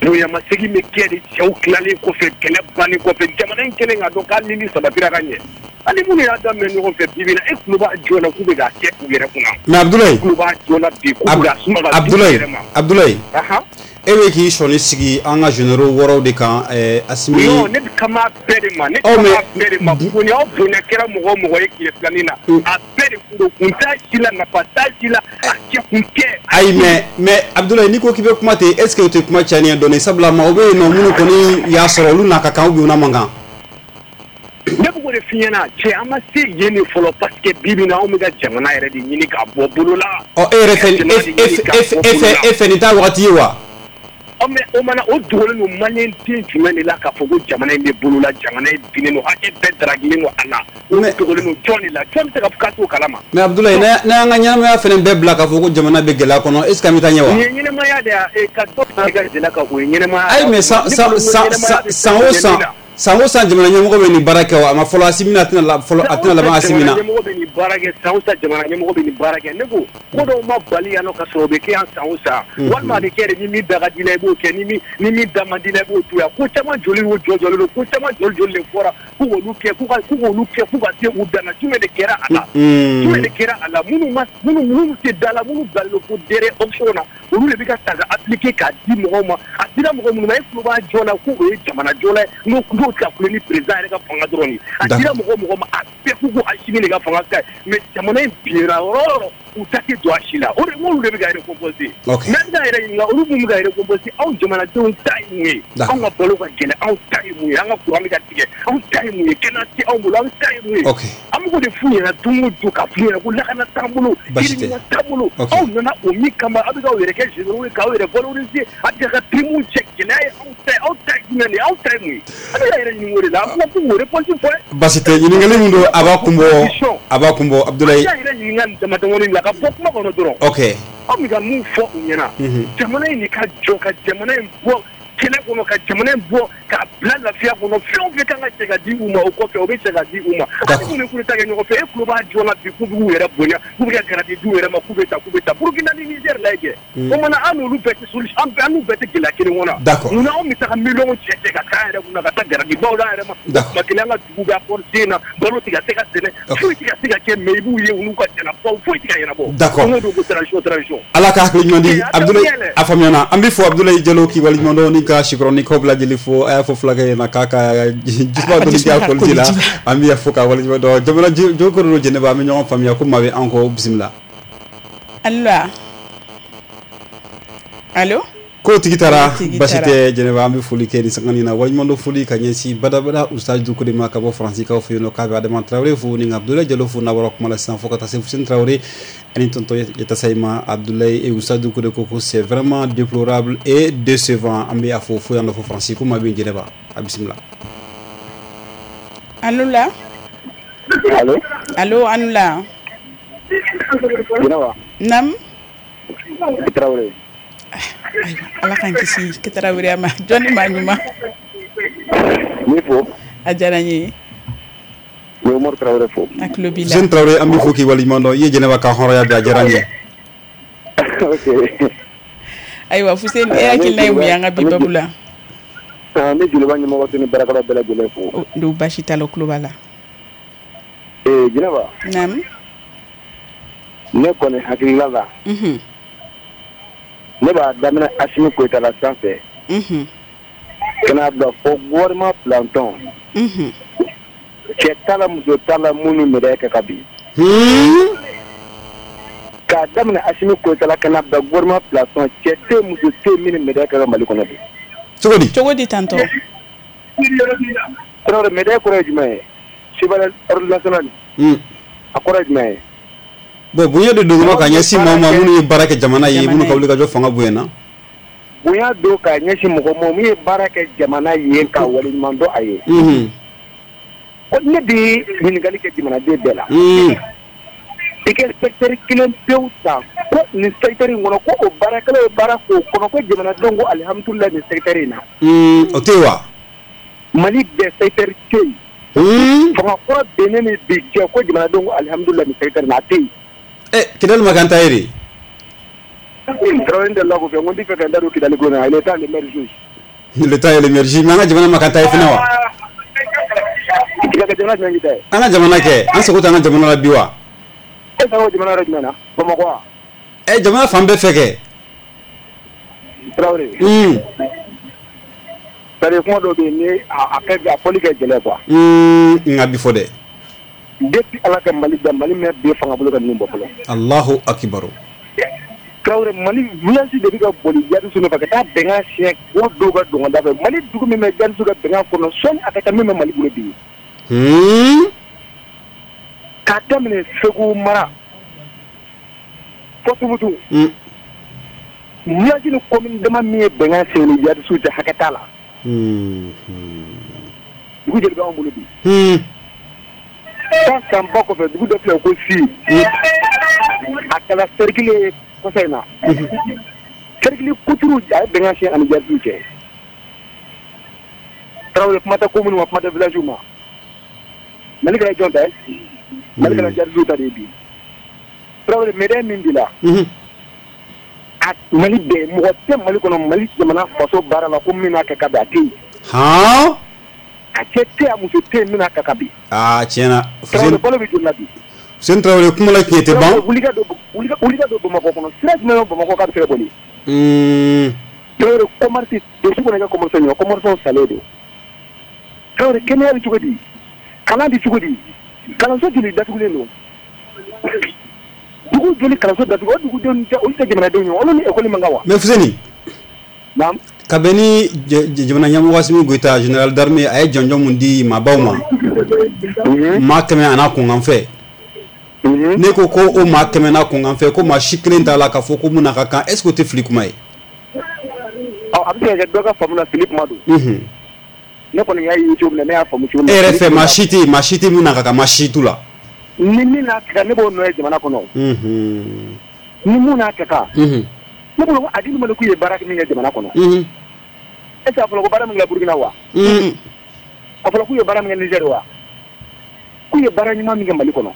bonyamasegin bɛ kɛ de cɛw tilalen kɔfɛ, kɛlɛ bannen kɔfɛ, jamana in kɛlen k'a dɔn k'ale ni sabatira ka ɲɛ. Hali minnu y'a daminɛ ɲɔgɔn fɛ bi bi in na, e tulo b'a jɔ la k'u bɛ k'a kɛ u yɛrɛ kunna. Mais Abdoulaye, tulo b'a jɔ la bi k'u bɛ k'a suma ka di u Abdoulaye yɛrɛ ma. Abdoulaye, Ahan. E bɛ k'i sɔnni sigi an ka généraux wɔɔrɔw de kan, ɛɛ Asimi. Non, ne bɛ kama bɛɛ de ma, ne Ɔ, kama mais bɛɛ de ma. Bonya o bonya kɛra mɔgɔ o mɔgɔ ye tile filanin na, a bɛɛ de kun don, kun t'a si la, nafa t'a si la, a kɛ kun tɛ. Ayi, mais mais Abdoulaye, n'i ko k'i bɛ kuma ten, est ce que o tɛ kuma cayalen ye dɔɔnin? Sabula maaw bɛ yen nɔ minnu kɔni y'a sɔrɔ, olu n'a ka kan ou bien u n'a man kan. Ne bɛ k'o de f'i ɲɛna cɛ, an ma se yen de fɔlɔ, parce que bi bi in na, anw bɛ ka jamana yɛrɛ de ɲini k'a bɔ bolo la. Ɔ, e yɛrɛ fɛ, Ka jamana de e ɲini k'a e bɔ e bolo fɛ la. E fɛ nin t'a wagati ye wa? Ɔ, mais o mana o dogolen don maliyɛn den jumɛn de la k'a fɔ ko jamana in bɛ bolo la, jamana in binnen don, hakɛ bɛɛ daragilen don a la? O Mais dogolen don jɔn de la? Jɔn bɛ se ka fɔ k'a t'o kalama? Mais Abdoulaye, Donc n'a y'an ka ɲɛnamaya fɛnɛ bɛɛ bila k'a fɔ ko jamana bɛ gɛlɛya kɔnɔ, est ce que an bɛ taa ɲɛ wa? Nin ye ɲɛnamaya de ye, ka dɔ fara i ka gɛlɛya kan, o ye ɲɛnamaya. Ayi, mais san Ne san bolo ko san ɲɛnamaya san bɛ san o fɛn san min na. San o san jamana ɲɛmɔgɔ bɛ nin baara kɛ wa? A ma fɔlɔ Asimi na, a tɛna la fɔlɔ, a San o tɛna laban san Asimi jamana na. ɲɛmɔgɔ bɛ nin baara kɛ, san o san jamana ɲɛmɔgɔ bɛ nin baara kɛ. Ne ko ko dɔw ma bali yan nɔ ka sɔrɔ o bɛ kɛ yan san o san, walima a bɛ kɛ de ni min da ka di la i b'o kɛ, ni min ni min da man di la i b'o to yan. Ko caman joli o jɔ jɔlen don, ko caman joli joli de fɔra k'u k'olu kɛ, k'u ka k'u k'olu kɛ f'u ka se u dan na. Jumɛn de kɛra a la? Jumɛn de kɛra a la? Minnu ma minnu minnu tɛ da la, minnu bilalen don fo derrière option na, olu de bɛ ka ta ka appliquer k'a di mɔgɔw ma. A dira mɔgɔ minnu ma, e tulo b'a jɔ la ko o ye jamana jɔla ye, n'o n'o tɛ ka kule ni président yɛrɛ ka fanga dɔrɔn de ye. A dira mɔgɔ o mɔgɔ ma, a bɛɛ k'u ko Asimi de ka fanga ka ɲi, mais jamana in binna yɔrɔ o yɔrɔ, u ta tɛ don a si la. O de olu de bɛ ka récompenser. Ok. Mais an bɛ k'an yɛrɛ ɲininka, olu minnu bɛ ka récompenser, anw jamanadenw ta ye mun ye? D'accord. Anw ka balo ka gɛlɛn, anw ta ye mun ye? An ka courant bɛ ka tigɛ, anw ta ye mun ye? Kɛnɛya tɛ anw bolo, anw ta ye mun ye? Ok. An bɛ k'o de f'u ɲɛna don o don, k'a f'u ɲɛna ko lakana t'an bolo, Baasi tɛ. ɲɛna t'an bolo. Ok. Aw nana o min kama, aw bɛ k'aw yɛrɛ kɛ généraux ye, k'aw yɛrɛ valoriser, a bɛ ka prime cɛ. Gɛlɛya ye anw ta ye, aw ta ye jumɛn de ye? Aw ta ye mun ye? An bɛ k'an yɛrɛ ɲininka o de la. An ko k'u réponse fɔ dɛ. Baasi tɛ, ɲininkali min don, a b'a kun bɔ, a b'a kun bɔ, Abdoulaye. An yɛrɛ ɲininka nin dama damani la ka bɔ kuma kɔnɔ dɔrɔn. Ok. Aw bɛ ka mun fɔ u ɲɛna? Mhm. Jamana in de ka jɔ, ka jamana in bɔ kɛlɛ kɔnɔ, ka jamana in bɔ k'a bila lafiya kɔnɔ. Fɛn o fɛn kan ka cɛ ka di u ma o kɔfɛ, o bɛ cɛ ka di u ma. D'accord. Hali minnu ye coup d'État kɛ ɲɔgɔn fɛ, e tulo b'a jɔ la bi k'u b'u yɛrɛ bonya, k'u bɛ ka garadi d'u yɛrɛ ma, k'u bɛ ta k'u bɛ ta. Burukina ni Niger lajɛ. O mana an n'olu bɛɛ tɛ solution, an bɛɛ an n'u bɛɛ tɛ gɛlɛya kelen kɔnɔ. D'accord. Munna anw bɛ taga miliyɔn cɛ cɛ ka k'an yɛrɛ kunna ka taa garadibaw d'an yɛrɛ ma? D'accord. Tuma kelen an ka dugu bɛ accord sen na, balo tɛ ka se ka sɛnɛ, Ok. foyi tɛ ka se ka kɛ, mais i b'u ye u n'u ka jalabaw, foyi tɛ ka ɲɛnabɔ. D'accord. Don o don ko transition, transition. Ala ka hakili ɲuman di. Eh, a Abdoulaye, daminɛ yɛlɛ. a faamuyana. An bɛ fɔ Abdoulaye Jalo k'i waleɲuman dɔn ni ka sikɔrɔnikaw bɛɛ lajɛlen fo. A y'a fɔ fulakɛ ɲɛna k'a ka jisuma dɔɔni kɛ a koliji la. An bɛ fo k'a waleɲuman dɔn. Jamana jokoro don Jɛnɛba, an bɛ ɲɔgɔn faamuya ko maa bɛ an kɔ, bisimila. Allo, allo. Ko tigi taara. Ko tigi Basi taara. tɛ Jɛnɛba, an bɛ foli kɛ nin sanga nin na. Waleɲuman dɔn foli ka ɲɛsin badabada Ustaz Dukure ma ka bɔ Faransikaw fɛ yen nɔ, k'a bɛ Adama Tarawele fo ni Abdoulaye Jalo fo n'a bɔra kuma la sisan, fo ka taa se Fuseni Tarawele ani tonton Yatasayi ma. Abdoulaye et Ustaz Dukure ko ko c'est vraiment déplorable et décevant. An bɛ a fo fo yan nɔ fo Faransi. Ko maa bɛ yen Jɛnɛba, a bisimila. Allo la. Allo. Allo, allo la. Jɛnɛba. Nam. Tarawele. Ayiwa, Ala k'an kisi Tarawele ma. Jɔnni maa ɲuman? N b'i fo. A diyara n ye. N ye Umaru Tarawele fo. A tulo b'i la. Fuseni Tarawele, an b'i fo k'i waleɲuman dɔn. I ye Jɛnɛba ka hɔrɔnya bi, a diyara n ye. Ok. Ayiwa Fuseni, e hakilina ye mun ye an ka bi babu la? N bɛ Joliba ɲɛmɔgɔ ni baarakɛlaw bɛɛ lajɛlen fo. Don baasi t'a la, tulo b'a la. Ee Jɛnɛba. Naamu. Ne kɔni hakilila la. Unhun. Ne b'a daminɛ Asimi Goyita la sanfɛ. Unhun. Ka n'a bila fo gouvernement planton. Unhun. Cɛ t'a la, muso t'a la, minnu médaille kɛ ka bin. Hun. K'a daminɛ Asimi Goyita la ka n'a bila gouvernement planton, cɛ tɛ, muso tɛ minnu médaille kɛ ka Mali kɔnɔ bi. Cogo di? Cogo di tantɔ? Tarawele, médaille kɔrɔ ye jumɛn ye? Chevalier ordre national. Un. A kɔrɔ ye jumɛn ye? Bon, bonya de don ka ɲɛsin maaw ma minnu ye baara kɛ jamana ye, minnu ka wulikajɔ fanga bonyana. Bonya don ka ɲɛsin mɔgɔ ma min ye baara kɛ jamana ye, ka waleɲuman dɔn a ye. Unhun. Ko ne bɛ ɲininkali kɛ jamanaden bɛɛ la. Un. I ka secteur kelen pewu ta ko nin secteur in kɔnɔ, ko o baarakɛlaw ye baara k'o kɔnɔ, ko jamanadenw ko alihamudulilayi nin secteur in na. Un, o tɛ yen wa? Mali bɛɛ secteur tɛ yen. Un. Fanga kura bennen ni bi cɛ, ko jamanadenw ko alihamudulilayi nin secteur in na, a tɛ yen. Eh, Kidali ma k'an ta ye de. Tarawele, n delila k'o fɛ, n ko n tɛ fɛ ka n da don Kidali ko in na, l'état l'émergence. L'état l'émergence, mais an ka jamana ma k'an ta ye fana wa? I ka jamana jumɛn k'i ta ye? An ka jamana kɛ, an sago tɛ an ka jamana la bi wa? E sago jamana yɔrɔ jumɛn na? Bamakɔ wa? Eh, jamana fan bɛɛ fɛ kɛ. Tarawele. Un. C'est-à-dire kuma dɔw bɛ yen, ni a kɛ a fɔli kɛ gɛlɛn quoi. Un, nka bi fɔ dɛ. Depuis Ala ka Mali da, Mali mɛn bi fanga bolo ka ninnu bɔ fɔlɔ. Allahu akibaru. Tarawele, Mali village de bɛ ka boli jihadistes nɔfɛ ka taa bɛnkan siɲɛ o dɔw ka don ka da fɛ. Mali dugu min bɛ jihadistes ka bɛnkan kɔnɔ, sɔnni a ka taa min bɛ Mali bolo bi. Hmm. K'a daminɛ Segu mara fo Tumutu. Un. Village ni commune dama min ye bɛnkan siɲɛ ni jihadistes cɛ, hakɛ t'a la. Hmm. Dugu joli b'anw bolo bi? Hmm. San sanba kɔfɛ, dugu dɔ filɛ ko Si. A kɛra cercle ye kɔsa in na. Cercle kuturu, a ye bɛnkan siɲɛ ani jihadistes cɛ. Tarawele, kuma tɛ commune ma, kuma tɛ village ma. Mali kɛra jɔn ta ye? Mali kɛra jihadistes ta de ye bi. Tarawele, médaille min b'i la. A Mali bɛɛ, mɔgɔ tɛ Mali kɔnɔ, Mali jamana faso baara la ko min n'a kɛ ka bin, a tɛ yen. Han? A cɛ tɛ yen, a muso tɛ yen min n'a kɛ ka bin. Aa, tiɲɛ na. Tarawele, balo bɛ joli la bi? Fuseni Tarawele, kuma la tiɲɛ tɛ ban. Wuli ka don, wuli ka don Bamakɔ kɔnɔ, sira jumɛn bɛ Bamakɔ k'a bɛ se ka boli? Un. Tarawele, commerce, don sugu kɔnɔ, i ka commerce ɲɔ, commerce salen don. Tarawele, kɛnɛya bɛ cogo di? Kalan bɛ cogo di? Kalanso joli datugulen don? Dugu joli kalanso datugu? O dugudenw tɛ, olu tɛ jamanadenw ye, olu ni école man kan wa? Mais Fuseni. Naam. Ka bɛn ni jamana ɲɛmɔgɔ Asimi Goyita, général d'armée, a ye jɔnjɔn mun di maabaw ma, maa kɛmɛ a n'a kunkanfɛ. Ne ko ko o maa kɛmɛ n'a kunkanfɛ, ko maa si kelen t'a la k'a fɔ ko mun n'a ka kan, est ce que o tɛ fili kuma ye? Ɔ, a bɛ se ka kɛ dɔ ka faamu na fili kuma don. Ne kɔni y'a ye cogo min na, ne y'a faamu cogo min na. E yɛrɛ fɛ, maa si tɛ yen, maa si tɛ mun n'a ka kan, maa si t'u la. Ni min n'a ka kan, ne b'o nɔ ye jamana kɔnɔ. Ni mun n'a ka kan. Ne bolo ko Adil Maliku ye baara min kɛ jamana kɔnɔ. Est ce que a fɔra ko baara min kɛ Burukina wa? A fɔra k'u ye baara min kɛ Niger wa? K'u ye baara ɲuman min kɛ Mali kɔnɔ.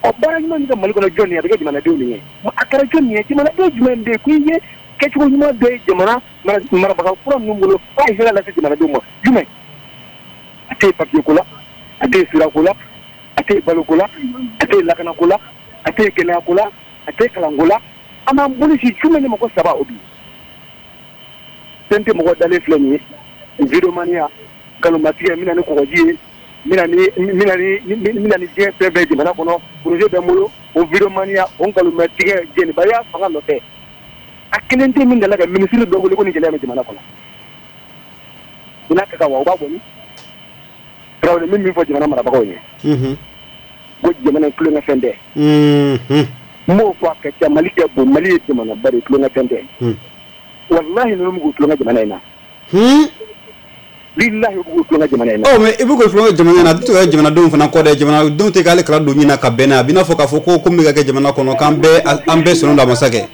Ɔ, baara ɲuman min kɛ Mali kɔnɔ, jɔn ye? A bɛ kɛ jamanadenw de ye. A kɛra jɔn ye? Jamanaden jumɛn bɛ yen k'i ye kɛcogo ɲuman dɔ ye jamana marabaga kura ninnu bolo k'a ye hɛrɛ lase jamanadenw ma? Jumɛn? A tɛ yen papier ko la, a tɛ yen sira ko la, a tɛ yen balo ko la, a tɛ yen lakana ko la, a tɛ yen kɛnɛya ko la, a tɛ yen kalanko la. An b'an bolo si jumɛn de ma ko saba o bi? Fɛn tɛ mɔgɔ dalen filɛ nin ye, videomaniya, nkalonmatigɛ, n bɛna ni kɔgɔji ye, n bɛna ni n bɛna ni n bɛna ni diɲɛ fɛn bɛɛ jamana kɔnɔ, projet bɛ n bolo, o videomaniya, o nkalonmatigɛ, jɛnibaya fanga nɔfɛ. A kelen tɛ min delila ka minisiri dɔ wele ko nin gɛlɛya bɛ jamana kɔnɔ. U n'a ka kan wa, u b'a bɔ min? Tarawele, min min fɔ jamana marabagaw ye. Ko jamana in tulonkɛ fɛn tɛ. N b'o fɔ a ka ca, Mali kɛ bon, Mali ye jamanaba de ye, tulonkɛ fɛn tɛ. Walahi ninnu bɛ k'u tulonkɛ jamana in na. Bilahi u bɛ k'u tulonkɛ jamana in na. Ɔ, mais i bɛ k'u tulonkɛ jamana in na, a bɛ to ka jamanadenw fana kɔ dɛ, jamanadenw tɛ k'ale kala don ɲin na ka bɛn n'a ye, a bɛ n'a fɔ k'a fɔ ko ko min bɛ ka kɛ jamana kɔnɔ k'an bɛɛ an bɛɛ sɔnnen don a ma sa kɛ.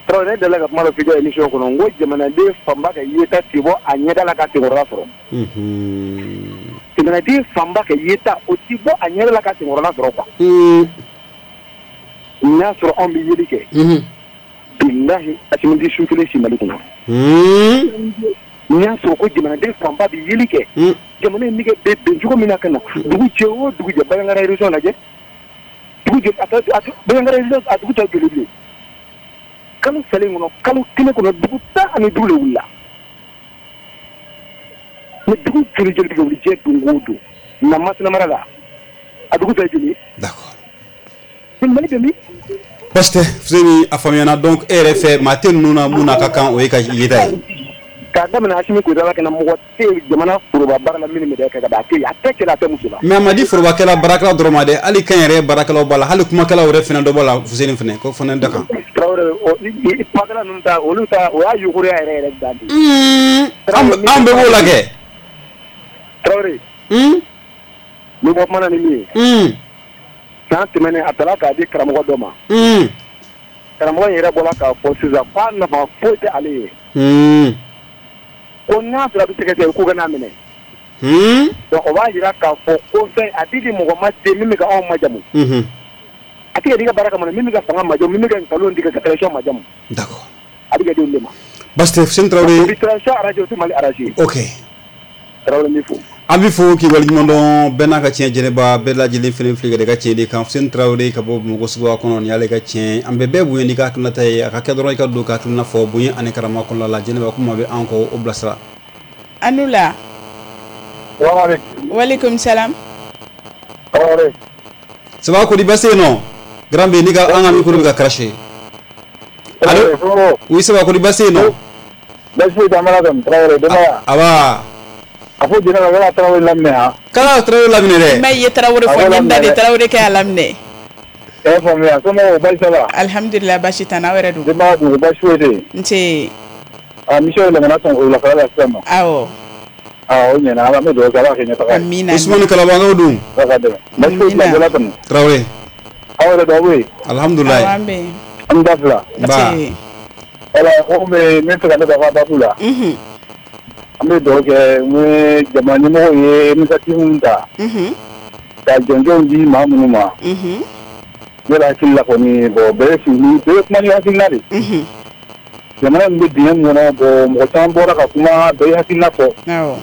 Tarawele, ne delila ka kuma dɔ f'i ka émission kɔnɔ, n ko jamanaden fanba ka yeta tɛ bɔ a ɲɛda la ka senkɔrɔla sɔrɔ. Jamanaden fanba kɛ yeta o ti bɔ a ɲɛ la ka senkɔrɔla sɔrɔ quoi. N'a sɔrɔ anw bɛ yeli kɛ. Bilahi Assimi tɛ su kelen si Mali kɔnɔ. N'i y'a sɔrɔ ko jamanaden fanba bɛ yeli kɛ. Jamana in bɛ kɛ bɛn cogo min na ka na dugu jɛ o dugu jɛ Bandiagara région lajɛ. Dugu jɛ a Bandiagara région a dugu tɔ joli bilen. Kalo salen kɔnɔ kalo kelen kɔnɔ dugu tan ani duuru de wulila. Mais dugu joli joli bɛ wuli diɲɛ don o don na Masina mara la a dugu tɔ joli. D'accord. Mali bɛ min. Baasi tɛ Fuseni a faamuyana donc e yɛrɛ fɛ maa tɛ ninnu na mun n'a ka kan o ye ka yeta ye. K'a daminɛ Assimi Goïta la ka na mɔgɔ tɛ jamana foroba baara la min bɛ kɛ ka ban a tɛ yen a tɛ cɛ la a tɛ muso la. Mais a ma di forobakɛla baarakɛla dɔrɔn ma dɛ hali kɛnyɛrɛye baarakɛlaw b'a la hali kumakɛlaw yɛrɛ fana dɔ b'a la Fuseni fana k'o fana da kan. Tarawele kumakɛla ninnu ta olu ta o y'a yuguruya yɛrɛ yɛrɛ dan de. An bɛɛ b'o la kɛ. Tarawele. N bɛ bɔ kuma na ni min ye. San tɛmɛnen a taara k'a di karamɔgɔ dɔ ma. Karamɔgɔ in yɛrɛ bɔra k'a fɔ sisan k'a nafa foyi tɛ ale ye. Ko n'a sɔrɔ a bɛ sɛgɛsɛgɛ k'u ka n'a minɛ. Donc o b'a jira k'a fɔ ko fɛn a tɛ di mɔgɔ ma ten min bɛ ka anw majamu. A tɛ ka di ka baara kama min bɛ ka fanga majamu min bɛ ka nkalon tigɛ ka transition majamu. D'accord. A bɛ ka di olu de ma. Baasi tɛ Fuseni Tarawele. Bi transition arrangé o tɛ Mali arrangé. Ok. Tarawele n b'i fo. An bɛ fo k'i waleɲuman dɔn bɛɛ n'a ka tiɲɛ jɛnɛba bɛɛ lajɛlen fana filɛ ka tiɲɛ de kan Fuseni Tarawele ka bɔ Bamakɔ suguba kɔnɔ nin y'ale ka tiɲɛ an bɛ bɛɛ bonya n'i ka hakilinata ye a ka kɛ dɔrɔn i ka don ka hakilina fɔ bonya ani karama kɔnɔna la jɛnɛba kuma bɛ an kɔ o bilasira. Anula. Walekum salam. Ça va kodi baasi yen nɔ grand B n'i ka an ka micro bɛ ka cracher. Allo oui ça va kodi baasi yen nɔ. Baasi foyi tɛ an b'a la Tarawele denbaya. Aba. A fɔ jɛnɛba k'a Tarawele laminɛ han. K'a Tarawele laminɛ dɛ. Mais i ye Tarawele fɔ n ye n da de Tarawele kɛ a laminɛ. E y'a faamuya somɔgɔw baasi t'a la. Alihamudulila baasi t'an na aw yɛrɛ dun. Denbaya dun baasi foyi tɛ yen. Nse. A mission yɛlɛmana sɔn wulafɛla la sisan nɔ. Awɔ. Aa o ɲɛna an bɛ dugawu kɛ Ala k'a kɛ ɲɛtaga ye. Amina. Usumani Kalabankaw dun. Ala k'a dɛmɛ. Baasi foyi tɛ la tɛmɛ. Tarawele. Aw yɛrɛ dun aw bɛ yen. Alihamudulila. Awɔ an bɛ yen. An da fila. Ba. Wala ko bɛ min fɛ ka ne ka babu la. Unhun. An bɛ dugawu kɛ n ye jamana ɲɛmɔgɔw ye initiative min ta. Unhun. Ka jɔnjɔnw di maa minnu ma. Unhun. Ne yɛrɛ hakili la kɔni bon bɛɛ ye sigi bɛɛ ye kuma ni hakilina de. Unhun. Jamana min bɛ dingɛ min kɔnɔ bon mɔgɔ caman bɔra ka kuma bɛɛ ye hakilina fɔ. Awɔ.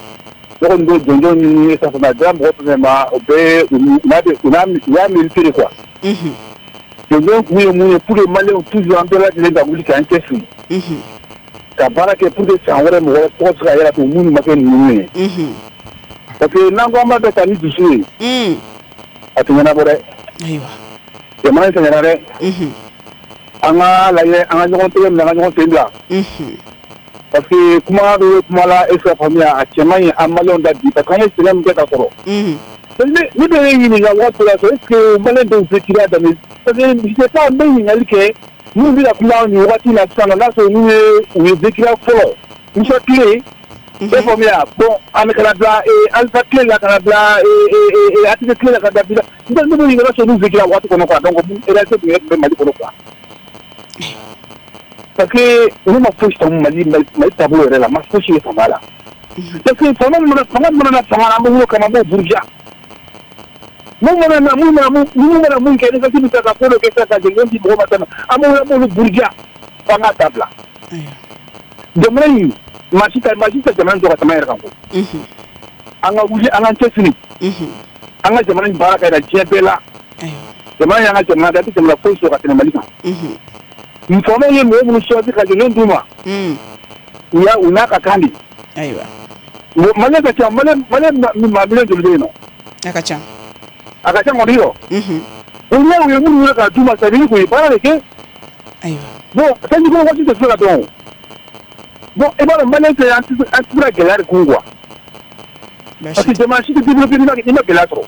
Ne kɔni bɛ jɔnjɔn ɲini sisan a dira mɔgɔ fɛn fɛn ma o bɛɛ u n'a u n'a u y'a mérité de quoi. Unhun. Jɔnjɔn kun ye mun ye pour que maliyɛnw toujours an bɛɛ lajɛlen ka wuli k'an cɛsiri. Unhun. Ka baara kɛ pour que san wɛrɛ mɔgɔ wɛrɛ tɔgɔ bɛ se ka yɛlɛ tugun minnu ma kɛ ninnu ye. Unhun. Parce que n'an ko an b'a bɛɛ ta ni dusu ye. Un. A tɛ ɲɛnabɔ dɛ. Ayiwa. Jamana in sɛgɛnna dɛ. Unhun. An ka lajɛ an ka ɲɔgɔn tɛgɛ minɛ an ka ɲɔgɔn sen bila. Unhun. Parce que kuma bɛ kuma la e ka faamuya a cɛ man ɲi an maliyɛnw da bi parce que an ye sɛgɛn min kɛ ka kɔrɔ. Unhun. Ne ne bɛ ne ɲininka waati la est ce que maliyɛn dɔw bɛ kiriya daminɛ parce que je sais pas n bɛ ɲininkali kɛ minnu bɛ ka kuma nin waati la sisan n'a sɔrɔ n'u ye u ye vécu fɔlɔ Musa tile. E faamuya bon an bɛ kana bila Alpha tile la kana bila A T T tile la ka bila bila ne bɛ ɲininka sɔrɔ n'u vécu waati kɔnɔ quoi donc réalité tun bɛ Mali kɔnɔ quoi. Parce que olu ma fosi faamu Mali Mali taabolo yɛrɛ la ma fosi de faamu a la. Parce que fanga mana fanga mana na fanga la an bɛ wolo kama an b'o buruja. Mun mana na mun mana mun mun mana mun kɛ ni kasi bɛ taa ka ko dɔ kɛ sisan ka jɛngɛ di mɔgɔ ma tan an b'o an b'olu buruja f'an k'a dabila. Jamana in maa si tɛ maa si tɛ jamana jɔ ka tɛmɛ an yɛrɛ kan ko. An ka wuli an k'an cɛsiri. An ka jamana in baara ka yira diɲɛ bɛɛ la. Jamana y'an ka jamana de ye an tɛ jamana foyi sɔrɔ ka tɛmɛ Mali kan. Faamaw ye mɔgɔ minnu choisi ka jɔnjɔn d'u ma. U y'a u n'a ka kan de. Ayiwa. Maliyɛn ka ca Maliyɛn Maliyɛn maa miliyɔn joli bɛ yen nɔ. A ka ca. A ka ca kɔni yɔ. O n'a u ye minnu wele k'a d'u ma c'est à dire k'u ye baara de kɛ. Ayiwa. Bon sanji ko waati tɛ se ka dɔn o. Bon i b'a dɔn Maliyɛn tɛ an tɛ an tɛ se ka gɛlɛya de kun quoi. Parce que jamana si tɛ développé n'i ma n'i ma gɛlɛya sɔrɔ.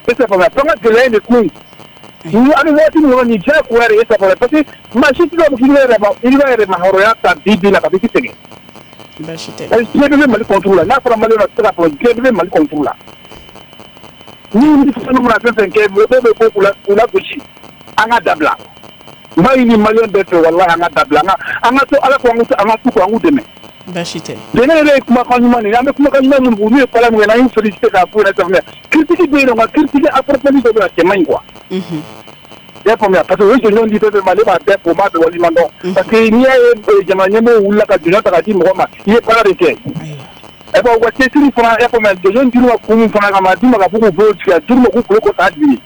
E tɛ faamuya f'an ka gɛlɛya in de kun. Ni an bɛ waati min kɔnɔ nin diyagoya de ye sa parce que maa si tɛ se k'a fɔ k'i bɛ yɛrɛ ma i bɛ yɛrɛ ma hɔrɔnya ta bi bi la ka fɔ k'i sɛgɛn. Baasi tɛ. Parce que diɲɛ bɛɛ bɛ Mali contre la n'a fɔra Maliyɛnw na tɛ se k'a fɔ diɲɛ bɛɛ bɛ Mali contre la. Ni ni fɛn mana fɛn fɛn kɛ mɔgɔw bɛ ko k'u la k'u lagosi an ka dabila. N b'a ɲini Maliyɛn bɛɛ fɛ walahi an ka dabila an ka an ka to Ala ko an ka an ka to an k'u dɛmɛ. Baasi tɛ. Jɛnɛ yɛrɛ ye kumakan ɲuman de ye, an bɛ kumakan ɲuman minnu fɔ, n'u ye baara min kɛ, n'an y'u félicité k'a f'u ɲɛna sisan, critique bɛ yen nɔ, nka critique approfondi dɔ bɛ yen a cɛ man ɲi quoi. Unhun. I y'a faamuya, parce que o ye jɔnjɔn di fɛn fɛn ma, ne b'a bɛɛ fo, n b'a bɛɛ waleɲuman dɔn. Parce que n'i y'a ye jamana ɲɛmɔgɔw wulila ka jɔnjɔn ta k'a di mɔgɔ ma, i ye baara de kɛ. Ɛ bon, u ka cɛsiri fana, i y'a faamuya, jɔnjɔn dir'u ma kun min fana kama, a d'u ma ka fɔ k'u bolo tigɛ, a d'u ma k'u kulo kɔ k'a dimi.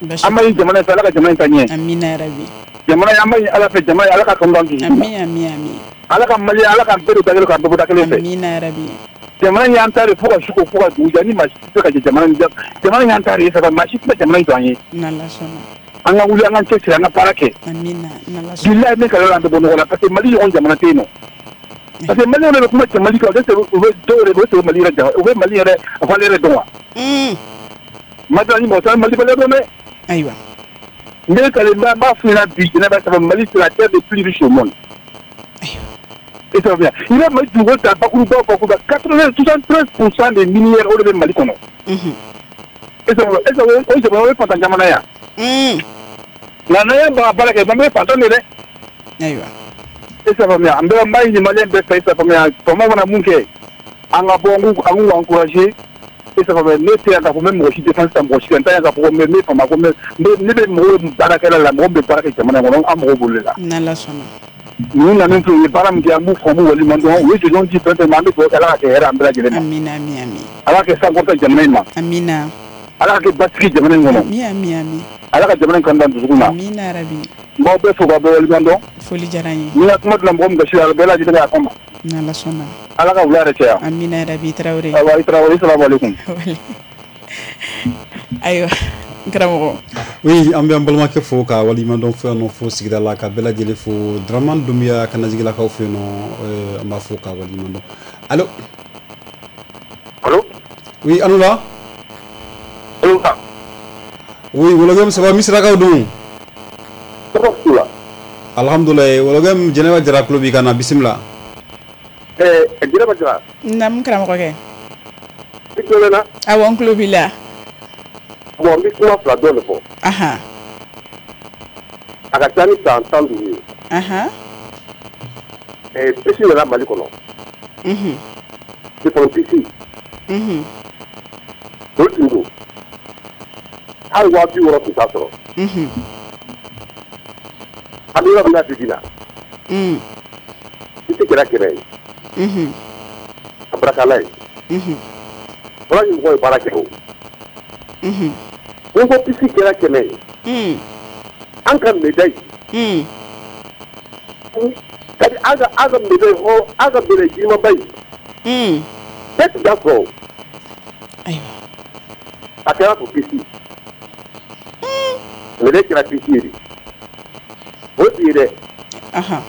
An b'a ɲini jamana in fɛ, Ala ka jamana in taa ɲɛ. Amina yarabi. Jamana in, an b'a ɲini Ala fɛ, jamana in, Ala ka kanu don an dusukun na. Ami ami ami. Ala ka Mali, Ala k'an bɛɛ don da kelen k'an bɛɛ bɔ da kelen fɛ. Amina yarabi. Jamana in y'an ta de fo ka su ko fo ka dugu jɛ, ni maa si tɛ se ka jɛ jamana in jamana in y'an ta de ye saba, maa si tɛ se jamana in jɔ an ye. N'Ala sɔnna. An ka wuli, an k'an cɛsiri, an ka baara kɛ. Amina, n'Ala sɔnna. Bilahi, ne kalila an tɛ bɔ nɔgɔ la, parce que Mali ɲɔgɔn jamana tɛ yen nɔ. Parce que Maliyɛnw de bɛ kuma cɛ Mali kan, u bɛ dɔw yɛrɛ bɛ Mali yɛrɛ u bɛ Mali yɛrɛ valeur yɛrɛ dɔn wa. Mali ni mɔgɔ caman Mali valeur dɔn dɛ. Ayiwa. N bɛ kale n b'a f'i ɲɛna bi, Jɛnɛba, saba Mali c'est la terre des plus riches au monde. Et ça va bien. I bɛ Mali dugukolo ta bakuruba bakuruba quatre-vingt soixante-treize pour cent des minières o de bɛ Mali kɔnɔ. Et ça va, et ça va, o jamana o ye fantan jamana ye wa. Nka n'an y'an ban ka baara kɛ, an bɛ fantan de dɛ. Ayiwa. E ça va bien. An bɛ n b'a ɲini Maliyɛn bɛɛ fɛ, ça va bien. Faamaw mana mun kɛ, an ka bɔ, an k'u an k'u encourager. E ça va bien. Ne tɛ yan k'a fɔ n bɛ mɔgɔ si défense ta mɔgɔ si kan. N tɛ yan k'a fɔ ko n bɛ ne faama ko n bɛ ne bɛ mɔgɔw baarakɛla la, mɔgɔ min bɛ baara kɛ jamana in kɔnɔ, an mago b'olu de la. N'Ala sɔnna. Ninnu nana filɛ, u ye baara min kɛ, an b'u fo, an b'u waleɲuman dɔn. U ye jɔnjɔn di fɛn fɛn ma, an bɛ dugawu kɛ Ala ka kɛ hɛrɛ an bɛɛ lajɛlen ma. Amina ami ami. Ala ka kɛ sankɔrɔta jamana in ma. Amina. Ala ka kɛ basigi jamana in kɔnɔ. Ami ami ami. Ala ka jamana in kanu don an dusukun na. Amina yarabi. N b'aw bɛɛ fo k'aw bɛɛ waleɲuman dɔn. Foli diyara n ye. Ni n ka kuma donna mɔgɔ min gasi la, a bɛɛ lajɛlen ka yafa n ma. N'Ala sɔnna. Ala ka wula yɛrɛ caya. Amina yarabi, Tarawele. Ayiwa, i Tarawele, salamu aleykum. Ayiwa, n karamɔgɔ. Oui, an bɛ an balimakɛ fo ka waleɲuman dɔn fo yan nɔ, fo sigida la, ka bɛɛ lajɛlen fo. Dramane Doumbia Kanajigilakaw fɛ yen nɔ, an b'a fo ka waleɲuman dɔn. Allo. Allo. Oui, Anoula. Allo. Oui, Wologem, ça va, Misirakaw dun? Alhamdoulilah, Wologem, Jɛnɛba Jara tulo b'i kan na, bisimila. Ɛɛ Jɛnɛba Jara. Naamu karamɔgɔkɛ. I tulo bɛ n na? Awɔ, n tulo b'i la. Bon, n bɛ kuma fila dɔrɔn de fɔ. Ahan. A ka ca ni san tan duuru ye. Ahan. Ɛɛ pisi nana Mali kɔnɔ. Unhun. Téléphone pisi. Unhun. O tun don. Hali waa bi wɔɔrɔ tun t'a sɔrɔ. Unhun. An bɛ yɔrɔ min na bi bi in na. Un. Pisi kɛra kɛmɛ ye. Unhun. A barika Ala ye. Unhun. Fɔlɔ ni mɔgɔw ye baara kɛ o. Unhun. Ni ko pisi kɛra kɛmɛ ye. Un. An ka médaille. Un. C'est-à-dire an ka an ka médaille hɔrɔn an ka médaille girinmanba in. Un. Bɛɛ tun t'a sɔrɔ o. Ayiwa. A kɛra fo pisi. Un. Médaille kɛra pisi ye de. O t'i ye dɛ. Ahan.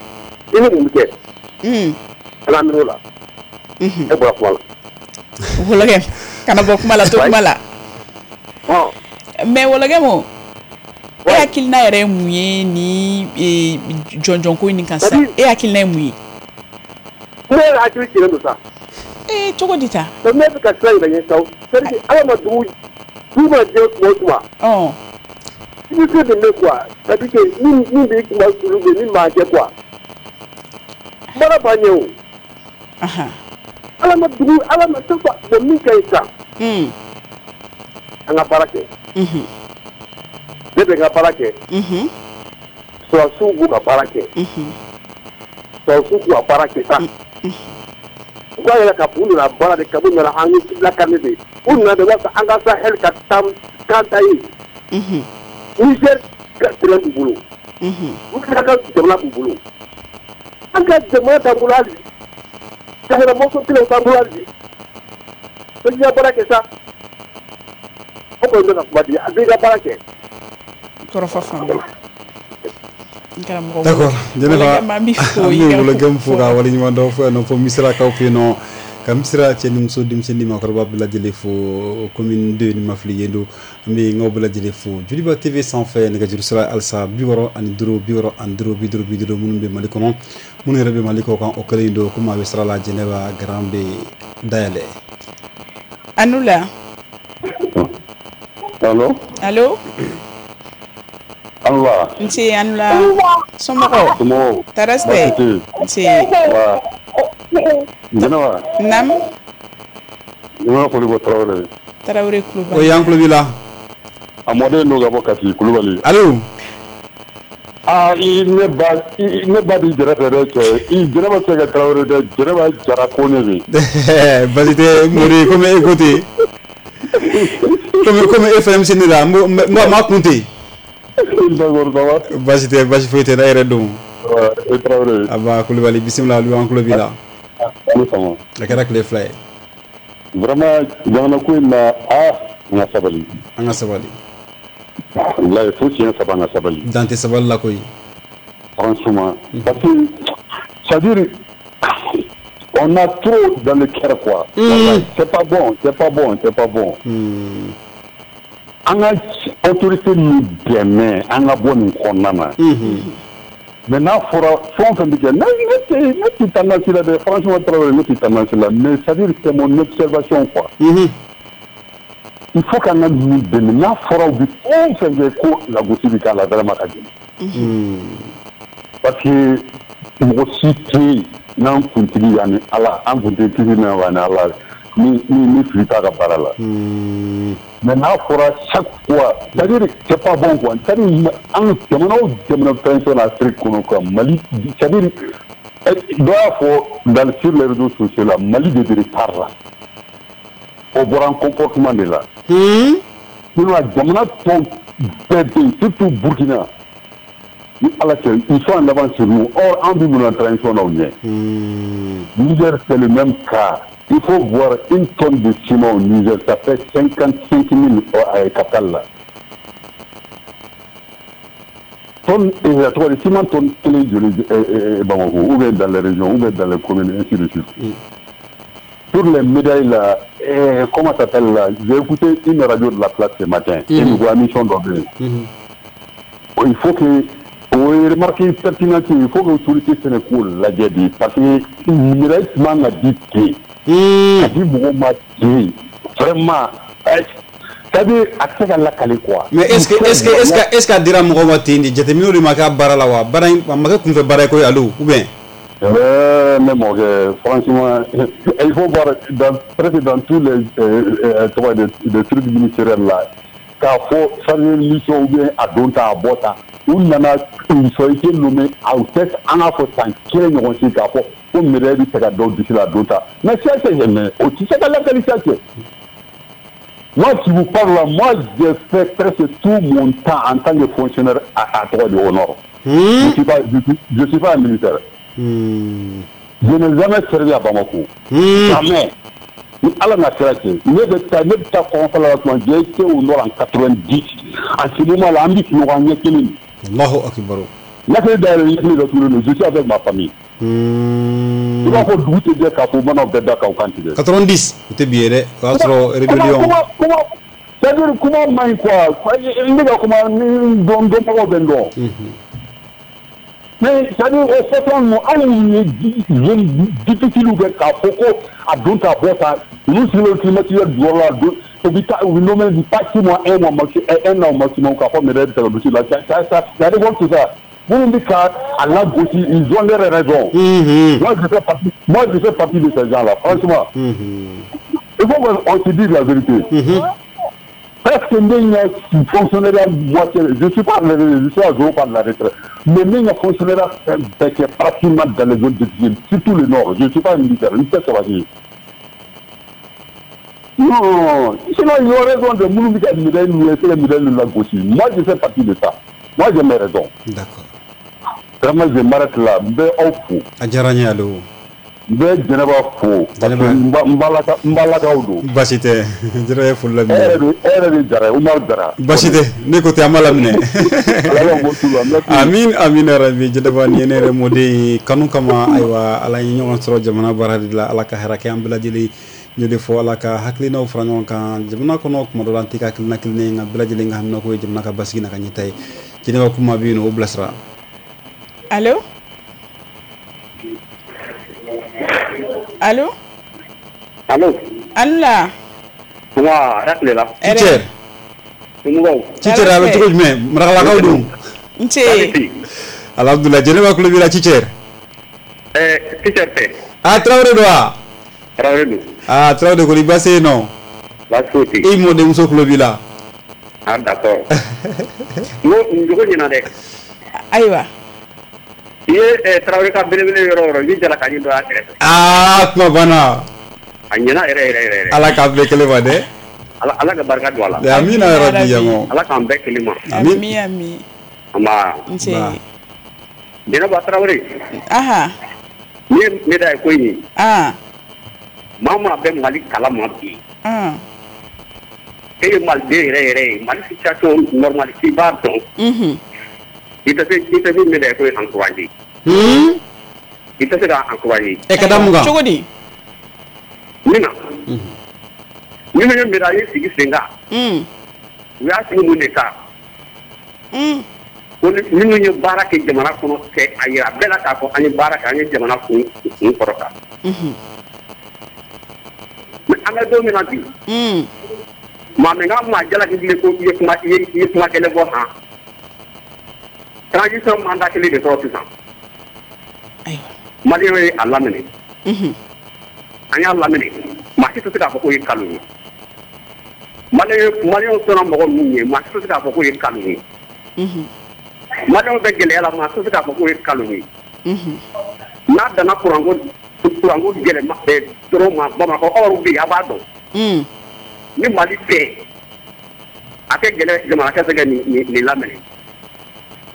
I ni mun bɛ kɛ? Un. Ala minɛ o la. Unhun. E bɔra kuma la. Wologem, kana bɔ kuma la, to kuma la. Ɔn. Mais Wologem o, e hakilina yɛrɛ ye mun ye ni jɔnjɔnko in kan sisan? E hakilina ye mun ye? Ne yɛrɛ hakili cilen don sa. Ee, cogo di ta? Ne bɛ ka sira yira n ye sa. C'est à dire Ala ma dugu dugu mana jɛ tuma o tuma. Ɔn. I bɛ se de ne quoi. C'est à dire que min min b'i kuma sulu bɛ min m'a kɛ quoi. Baara b'a ɲɛ o. Ahan. Ala ma dugu Ala ma chaque fois bon min ka ɲi sisan. Un. An ka baara kɛ. Unhun. Ne bɛ n ka baara kɛ. Unhun. Sɔrɔdasiw b'u ka baara kɛ. Unhun. Sɔrɔdasiw b'u ka baara kɛ sa. U b'a yɛrɛ k'a fɔ u nana baara de kɛ, u nana an lakana de. U nana de walasa an ka Sahel ka taa kan ta ye. Unhun. Niger ka terrain b'u bolo. Unhun. Burkina ka jamana b'u bolo. An ka jamana t'an bolo hali bi. Sahel mɔgɔ kelen t'an bolo hali bi. Bɛɛ ka baara kɛ sa. O kɔni bɛ ka kuma di, a bɛɛ ka baara kɛ. Kɔrɔfɔ faamu. Karamɔgɔ. D'accord, Jɛnɛba, an bɛ Wologem fo ka waleɲuman dɔn fo yan nɔ, fo Misirakaw fɛ yen nɔ, ka Misira cɛ ni muso, denmisɛnnin ni maakɔrɔba bɛɛ lajɛlen fo, commune deux ni ma fili yen don, an bɛ n k'aw bɛɛ lajɛlen fo. Joliba T V sanfɛ, nɛgɛjuru sira halisa bi wɔɔrɔ ani duuru bi wɔɔrɔ ani duuru bi duuru bi duuru, minnu bɛ Mali kɔnɔ, minnu yɛrɛ bɛ Mali kɔ kan, o kɛlen don komi a bɛ sira la, Jɛnɛba garan bɛ dayɛlɛ. Anoula. Allo. Allo. Anoula. Nse Anoula. Somɔgɔw? Somɔgɔw. Tɔɔrɔ si tɛ? Nse. Jɛnɛba. Naam. I b'a fɔ ko Tarawele. Tarawele Kulubali. O y'an tulo b'i la. A mɔden n'o ka bɔ Kati Kulubali. Allo. Aa i ne ba i ne ba b'i jɛrɛ fɛ dɛ cɛ i Jɛnɛba tɛ se ka Tarawele dɛ Jɛnɛba Jara Kone de. Basi tɛ Mori komi e ko ten. Komi komi e fana bɛ se ne la n b'a kun ten. D'accord ça va. Basi tɛ basi foyi tɛ ne yɛrɛ don. E Tarawele. Aba Kulubali bisimila olu an tulo b'i la. A ni fama. A kɛra tile fila ye. Vraiment jamana ko in na aa an ka sabali. An ka sabali. Wallahi fo tiɲɛ saba an ka sabali. Dan tɛ sabali la koyi. Franchement parce que c'est-à-dire on a trop dans le cœur quoi. Mmh. C'est pas bon, c'est pas bon, c'est pas bon. Mmh. An ka autorité ninnu dɛmɛ an ka bɔ nin kɔnɔna na. Mais n'a fɔra fɛn o fɛn bɛ kɛ ne ne tɛ ne tɛ tendance la dɛ franchement Tarawele ne tɛ tendance la mais c'est-à-dire c'est mon observation quoi. Mmh. Il faut qu'an ka ninnu dɛmɛ n'a fɔra u bɛ fɛn o fɛn kɛ ko lagosi bɛ k'a la vraiment ka gɛlɛn. Parce que mɔgɔ si tɛ yen n'an kuntigi yanni Ala an kuntigi kisi na yanni Ala ni ni ni fili t'a ka baara la. Mais n'a fɔra chaque fois c'est-à-dire c'est pas bon quoi c'est-à-dire an jamana o jamana fɛn fɛn Afrique kɔnɔ quoi Mali c'est-à-dire dɔ y'a fɔ dans sur les réseaux sociaux la Mali de bɛ retard la o bɔra an comportement de la. Sinon jamana tɔw bɛɛ bɛ yen surtout Burkina ni Ala cɛ ils sont en avance sur nous or an bɛ mun na transition na u ɲɛ. Niger c'est le même cas. Il faut voir une tonne de ciment au Niger, ça fait cinquante-cinq mille à Katal là. Tonne et la trois de ciment tonne clé de Bamako, ou bien dans les régions, ou bien dans les communes, ainsi de suite. Mm. Pour les médailles là, eh, comment ça s'appelle là? J'ai écouté une radio de la place ce matin, mm. et nous voyons mission d'ordre. Mm. Il faut que on remarque une pertinence, il faut que l'autorité Sénégal la dit, parce que une médaille m'a dit que a di mɔgɔw ma ten vraiment c'est-à-dire a tɛ se ka lakale quoi. Mais est-ce que est-ce que est-ce que est-ce que a dira mɔgɔw ma ten de jateminɛw de ma k'a baara la wa baara in a ma kɛ kunfɛ baara ye koyi allo ou bien. Euh, mais bon, franchement, il faut voir dans, presque dans tous les euh, euh, des, des trucs ministériels là, k'a fɔ chargé de mission ou bien a don ta a bɔ ta u nana ils ont été nommés aw tɛ an k'a fɔ san kelen ɲɔgɔn si k'a fɔ ko médaille bɛ se ka dɔw disi la a don ta mais ça c'est mais o tɛ se ka lakali ça c'est. Moi qui vous parle là, moi j'ai fait presque tout mon temps en tant que fonctionnaire à, à Trois de au Nord. Mmh. Je suis pas je, je suis pas un militaire. Mmh. Je n'ai jamais servi à Bamako. Mmh. Jamais. Ni Ala n'a kira cɛ ne bɛ taa ne bɛ taa kɔnfala la tuma j'ai été au Nord en quatre-vingt-dix en ce moment là an bɛ sunɔgɔ an ɲɛ kelen. Allahu akbar. Lakile dayɛlɛ ɲɛ kelen dɔ tugulen don je suis avec ma famille. Mmh. I b'a fɔ dugu tɛ jɛ k'a fɔ bamanan bɛɛ da kan u kan tigɛ. quatre-vingt-dix o tɛ bi ye dɛ o y'a sɔrɔ rébellion. Kuma kuma c'est-à-dire kuma man ɲi quoi ne ka kuma ni dɔn dɔnbagaw bɛ n dɔn. Mais c'est-à-dire o fɔtɔ ninnu anw ye zone difficile kɛ k'a fɔ ko a don ta bɔ ta olu sigilen don climatiseur jukɔrɔ la don u bɛ taa u bɛ nommé pas six mois un mois maxi un an maximum k'a fɔ médaille bɛ ta ka don la ça ça ça révolte ça minnu bɛ ka a lagosi ils ont leur raison. Mmh. Moi je fais partie moi je fais partie de ces gens-là franchement. Mmh. Il faut qu'on se dise la vérité. Mmh. Presque ne fonctionnaire moitié je suis pas je suis à zéro pas de la retraite mais ne fonctionnaire bɛɛ kɛ pratiquement dans les zones difficiles surtout le nord je suis pas un militaire n tɛ sabati. Non sinon ils ont raison de minnu bɛ ka médaille ninnu ye c'est les médailles ninnu lagosi moi je fais partie de ça moi j'ai mes raisons. D'accord. Vraiment je m'arrête là n bɛ aw fo. A diyara n ye allo. N bɛ Jɛnɛba fo parce que n balakaw don. Baasi tɛ Jɛnɛba ye foli laminɛ. E yɛrɛ de e yɛrɛ de Jara ye Umaru Jara. Baasi tɛ ne ko ten an b'a laminɛ. Amin amin yarabi Jɛnɛba nin ye ne yɛrɛ mɔden ye kanu kama ayiwa Ala ye ɲɔgɔn sɔrɔ jamana baara de la Ala ka hɛrɛ kɛ an bɛɛ lajɛlen n y'o de fɔ Ala ka hakilinaw fara ɲɔgɔn kan jamana kɔnɔ kuma dɔ la an tɛ ka hakilina kelen ye nka bɛɛ lajɛlen ka haminako ye jamana ka basigi n'a ka ɲɛtaa ye Jɛnɛba kuma bɛ yen nɔ o bilasira. Allo. Allô? Allô? Allah. Wa, hɛrɛ la. Teacher. Teacher a bɛ cogo jumɛn? Marakalakaw dun? N ce. Alhamdulillah, Jɛnɛba tulo b'i la teacher. Eh, teacher tɛ. Ah Traoré don wa? Traoré don. Ah Traoré kɔni baasi yen nɔ? Baasi foyi tɛ yen. I mɔdenmuso tulo b'i la. Ah d'accord. N ko nin jogo ɲɛna dɛ. Ayiwa. I ye Traoré ka belebele yɔrɔ o yɔrɔ i bɛ jalakani dɔ y'a kɛrɛfɛ. Aa kuma banna. A ɲɛna yɛrɛ yɛrɛ yɛrɛ. Ala k'a bɛɛ kelen ma dɛ. Ala ala ka barika don a la. Amina yarabi yamo. Ala k'an bɛɛ kelen ma. Ami ami. Nba. Nse. Jɛnɛba Traoré. Aha. Ni ye médaille ko in ye. Ah. Maa maa bɛ Mali kalama bi. Ah. E ye Maliden yɛrɛ yɛrɛ ye Mali situation normale k'i b'a dɔn. Unhun. I tɛ se i tɛ se médaille ko in encourager. Hmm. I tɛ se k'a encourager. Ɛ ka da mun kan? Cogo di? Min na. Unhun. Minnu ye médaille sigi sen kan. Un. U y'a sigi mun de kan? Un. Ko ni minnu ye baara kɛ jamana kɔnɔ kɛ a yira bɛɛ la k'a fɔ an ye baara kɛ an ye jamana kun kun kɔrɔta. Unhun. Mais an bɛ don min na bi. Un. Maa min ka maa jalaki bilen ko i ye kuma i ye i ye kuma kɛlɛ bɔ han. Transition mandat kelen de sɔrɔ sisan. Ayiwa. Maliyɛnw ye a laminɛ. Unhun. An y'a laminɛ. Maa si tɛ se k'a fɔ k'o ye nkalon ye. Maliyɛn maliyɛnw sɔnna mɔgɔ minnu ye maa si tɛ se k'a fɔ k'o ye nkalon ye. Unhun. Maliyɛnw bɛ gɛlɛya la maa si tɛ se k'a fɔ k'o ye nkalon ye. Unhun. N'a danna kuranko kuranko gɛlɛma dɔrɔn ma Bamakɔ aw bɛ yen a b'a dɔn. Un. Ni Mali tɛ a tɛ gɛlɛ jamana tɛ se ka nin nin nin laminɛ.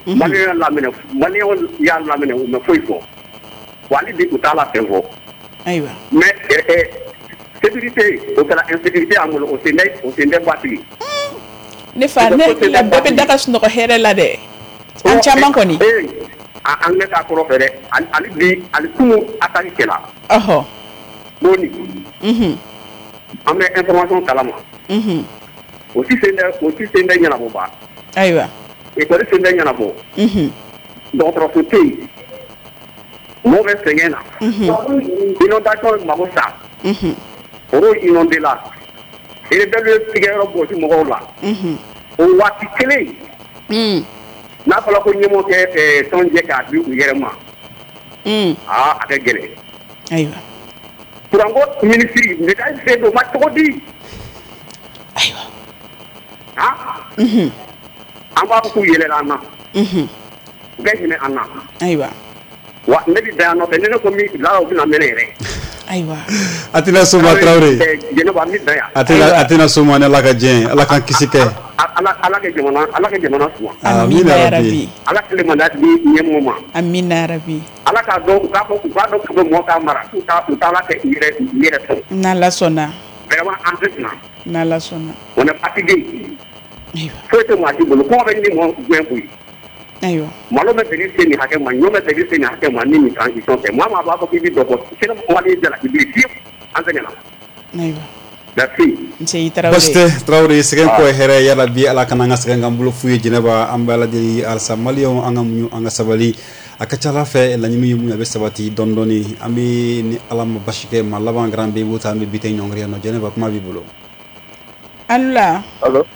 Maliyɛnw y'a laminɛ maliyɛnw y'a laminɛ u ma foyi fɔ. Wa hali bi u t'a la fɛn fɔ. Ayiwa. Mais ɛ sécurité o kɛra insécurité y'an bolo o sen tɛ o sen tɛ basigi. Ne fa ne hakili la bɛɛ bɛ da ka sunɔgɔ hɛrɛ la dɛ. An caman kɔni. Ee an bɛ taa kɔrɔ fɛ dɛ hali bi hali kunun attaque kɛra. Ɔhɔ. Boni. Unhun. An bɛ information kalama. Unhun. O si sen tɛ o si sen tɛ ɲɛnabɔ ba. Ayiwa. École sen tɛ ɲɛnabɔ. Unhun. Dɔgɔtɔrɔso tɛ yen. Mɔgɔw bɛ sɛgɛn na. Unhun. Inondation mago sa. Unhun. Foro inondé la. Rebelle ye tigɛyɔrɔ gosi mɔgɔw la. Unhun. O waati kelen. Un. N'a fɔra ko ɲɛmɔgɔ kɛ tɔn jɛ k'a di u yɛrɛ ma. Un. Aa a ka gɛlɛn. Ayiwa. Kuranko minisiri médaille sen don ma cogo di? Ayiwa. Han? Unhun. An b'a fɔ k'u yɛlɛla an na. Unhun. U bɛ hinɛ an na. Ayiwa. Wa ne bɛ dan yan nɔ fɛ ni ne ko min la u bɛna mɛnɛ yɛrɛ. Ayiwa. A tɛna so ma Traoré. Jɛnɛba n bɛ dan yan. A tɛna a tɛna so ma ni Ala ka diɲɛ ye Ala k'an kisi kɛ. Ala Ala ka jamana Ala ka jamana suma. Amina yarabi. Ala kelen mandat di ɲɛmɔgɔ ma. Amina yarabi. Ala k'a dɔn u k'a fɔ u k'a dɔn k'u bɛ mɔgɔ k'a mara u t'a u t'a la kɛ u yɛrɛ u yɛrɛ sɔn. N'Ala sɔnna. Vraiment an tɛ sina. N'Ala sɔnna. On est fatigué. Ayiwa. Foyi tɛ maa si bolo kɔngɔ bɛ ni mɔgɔ gɛn koyi. Ayiwa. Malo bɛ segin se nin hakɛ ma ɲɔ bɛ segin se nin hakɛ ma ni nin transition tɛ maa maa b'a fɔ k'i bɛ dɔ bɔ sini Mali jalaki bi fiyewu an sɛgɛnna. Ayiwa. Merci. Nse i Traoré. Baasi tɛ Traoré sɛgɛn kɔ ye hɛrɛ yala bi Ala kana an ka sɛgɛn k'an bolo fu ye Jɛnɛba an bɛ Ala deli halisa maliyɛnw an ka muɲu an ka sabali a ka ca Ala fɛ laɲini ye mun ye a bɛ sabati dɔɔni dɔɔni an bɛ ni Ala ma basi kɛ maa laban garan bɛ i b'o ta an bɛ bi tɛ ɲɔngiri yan nɔ Jɛnɛba kuma b'i bolo. Alula. Allo.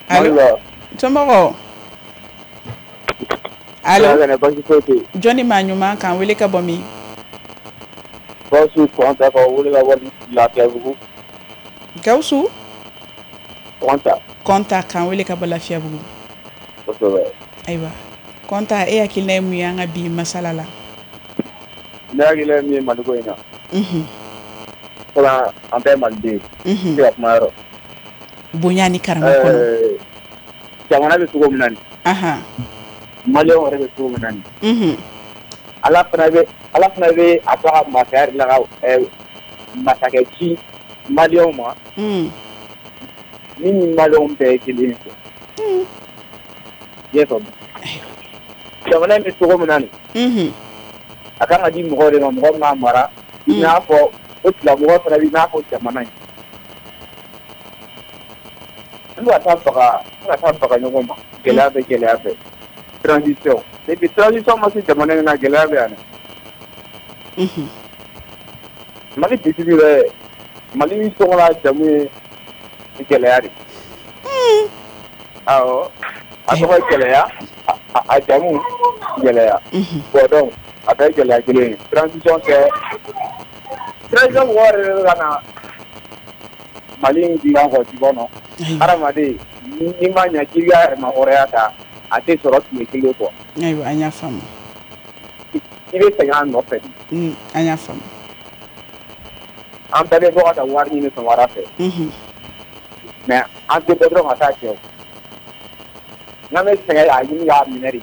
Allo. Somɔgɔw. Allo. Baasi foyi tɛ yen. Jɔnni maa ɲuman k'an wele ka bɔ min? Gawusu Kɔnta ka wele ka bɔ Lafiyabugu. Gawusu? Kɔnta. Kɔnta k'an wele ka bɔ Lafiyabugu. Kosɛbɛ. Ayiwa Kɔnta e hakilina ye mun ye an ka bi masala la? Ne hakilina ye min ye Maliko in na. Unhun. Fɔlɔ an bɛɛ ye Maliden ye. Unhun. Se ka kuma yɔrɔ. Bonya ni karama kɔnɔ. Jamana bɛ cogo min na nin. Ahan. Maliyɛnw yɛrɛ bɛ cogo min na nin. Unhun. Ala fana bɛ Ala fana bɛ a to a ka masaya de la ka ɛ masakɛ ci maliyɛnw ma. Un. Min ni maliyɛnw bɛɛ ye kelen ye. Un. I y'a faamu. Jamana in bɛ cogo min na nin. Unhun. A kan ka di mɔgɔw de ma mɔgɔ min b'a mara. I n'a fɔ o tigilamɔgɔ fana bɛ i n'a fɔ jamana in. An bɛ ka taa baga an bɛ ka taa baga ɲɔgɔn ma gɛlɛya bɛ gɛlɛya fɛ. Transition depuis transition ma se jamana in na gɛlɛya bɛ yan dɛ. Unhun. Mali bisigi bɛ Mali tɔgɔ n'a jamu ye gɛlɛya de. Un. Awɔ a tɔgɔ ye gɛlɛya a a jamu gɛlɛya. Unhun. Bon donc a bɛɛ ye gɛlɛya kelen ye transition tɛ Transition mɔgɔw yɛrɛ de bɛ ka na Mali in dilan quoi, tu vois non? Hadamaden n'i ma ɲɛ k'i ka yɛrɛmahɔrɔnya ta, a tɛ sɔrɔ tile kelen quoi. Ayiwa, an y'a faamu. I bɛ sɛgɛn a nɔfɛ. An y'a faamu. An bɛɛ bɛ bɔ ka taa wari ɲini sɔgɔmada fɛ. Mais an tɛ bɔ dɔrɔn ka taa kɛ o. N'an bɛ sɛgɛn k'a ɲini k'a minɛ de.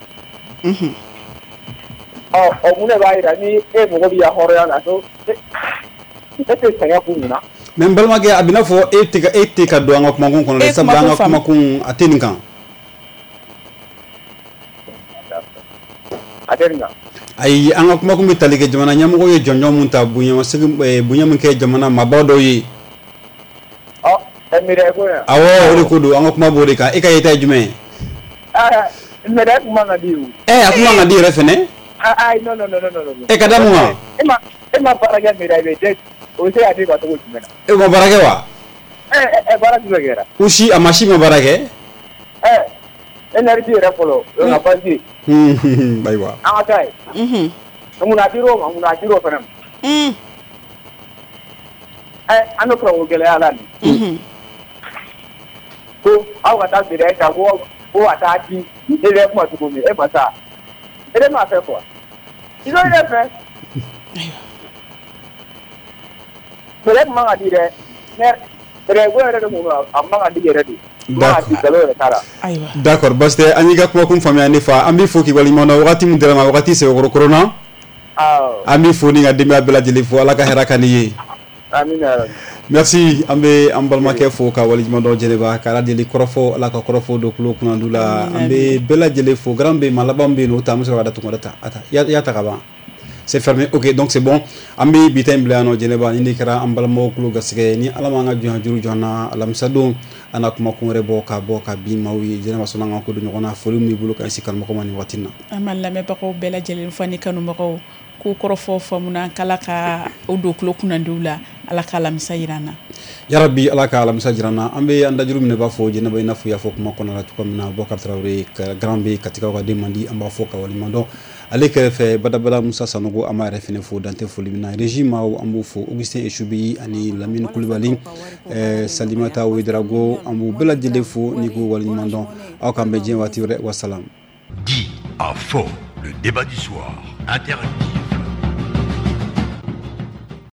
Ɔ o mun de b'a jira ni e mago b'i ka hɔrɔnya la ko e tɛ sɛgɛn kun mun na? Mais n balimakɛ, a bɛ n'a fɔ e tɛ ka e tɛ ka don an ka kumakun kɔnɔ dɛ, sabula an ka kumakun a tɛ nin kan. A tɛ nin kan. Ayi, an ka kumakun bɛ tali kɛ jamana ɲɛmɔgɔ ye jɔnjɔn mun ta, bonya segin bonya min kɛ jamana maabaw dɔw ye. Ɔ ɛ médaille ko yan. Awɔ, o de ko don, an ka kuma b'o de kan. E ka yeta ye jumɛn ye? Aa médaille kun man ka di o. Ɛ a kun man ka di yɛrɛ fɛnɛ. Ayi, non non non non non. E ka da mun kan? E ma e ma baara kɛ médaille bɛ o bɛ se ka di ma cogo jumɛn na? E ma baara kɛ wa? Ɛ ɛ baara jumɛn kɛra? U si a ma si ma baara kɛ? Ɛ énergie yɛrɛ fɔlɔ, o ka basi. Ayiwa. An ka taa yen. Mun a dir'o ma, mun a dir'o fana ma? Ɛ an bɛ kuranko gɛlɛya la nin. Ko aw ka taa médaille ta ko ko ka taa di e bɛ kuma cogo min e ma taa. E de m'a fɛ quoi. I bɛ ne fɛ. Médaille kun man ka di dɛ. Médaille ko yɛrɛ de kun don, a man ka di yɛrɛ de. D'accord, basi tɛ, an y'i ka kumakun faamuya ne fa, an b'i fo k'i waleɲuman dɔn. Wagati min dira ma, wagati sɛbɛkɔrɔ koronna. An b'i fo ni ka denbaya bɛɛ lajɛlen fo, Ala ka hɛrɛ ka n'i ye. Merci, an bɛ an balimakɛ fo ka waleɲuman dɔn Jɛnɛba, ka Ala deli kɔrɔfɔ, Ala ka kɔrɔfɔ don tulo kunnandu la. An bɛ bɛɛ lajɛlen fo, grand bɛ maa laban bɛ yen nɔ, o ta an bɛ sɔrɔ ka datugu ta a ta i y'a ta ka ban. C'est fermé, ok, donc c'est bon. An bɛ bi ta in bila yan nɔ Jɛnɛba, ni de kɛra an balimaw tulo garisɛgɛ ni Ala m'an ka jɔn juru jɔ an na, alamisa don an na kumakun wɛrɛ bɔ ka bɔ ka bin maaw ye. Jɛnɛba sɔnna an ka ko don ɲɔgɔn na, foli min b'i bolo ka ɲɛsin kanubagaw ma nin waati in na. An b'an lamɛnbagaw bɛɛ lajɛlen fo ani kanubagaw k'u kɔrɔfɔ faamuna, k'Ala ka o don tulo kunnandiw la, Ala ka alamisa jira an na. Yarabi, Ala ka alamisa jira an na. An bɛ an dajuru minɛ b'a fɔ Jɛnɛba, i n'a fɔ i y'a fɔ kuma kɔnɔna la cogo min na, Bɔkari Tarawele grand bɛ Katikaw ka den man di, an b'a fɔ ka waleɲuman dɔn. Ale kɛrɛfɛ badabada Musa Sanogo, an b'a yɛrɛ fɛnɛ fo dantɛ foli min na. Régie maaw an b'o fo, Augustin Esubi ani Lamine Kulibali, eh, Salimata Ouedraogo, an b'u bɛɛ lajɛlen fo ni k'u waleɲuman dɔn. Aw k'an bɛn diɲɛ waati wɛrɛ, wasalam. Dit à fort, le débat du soir interactif.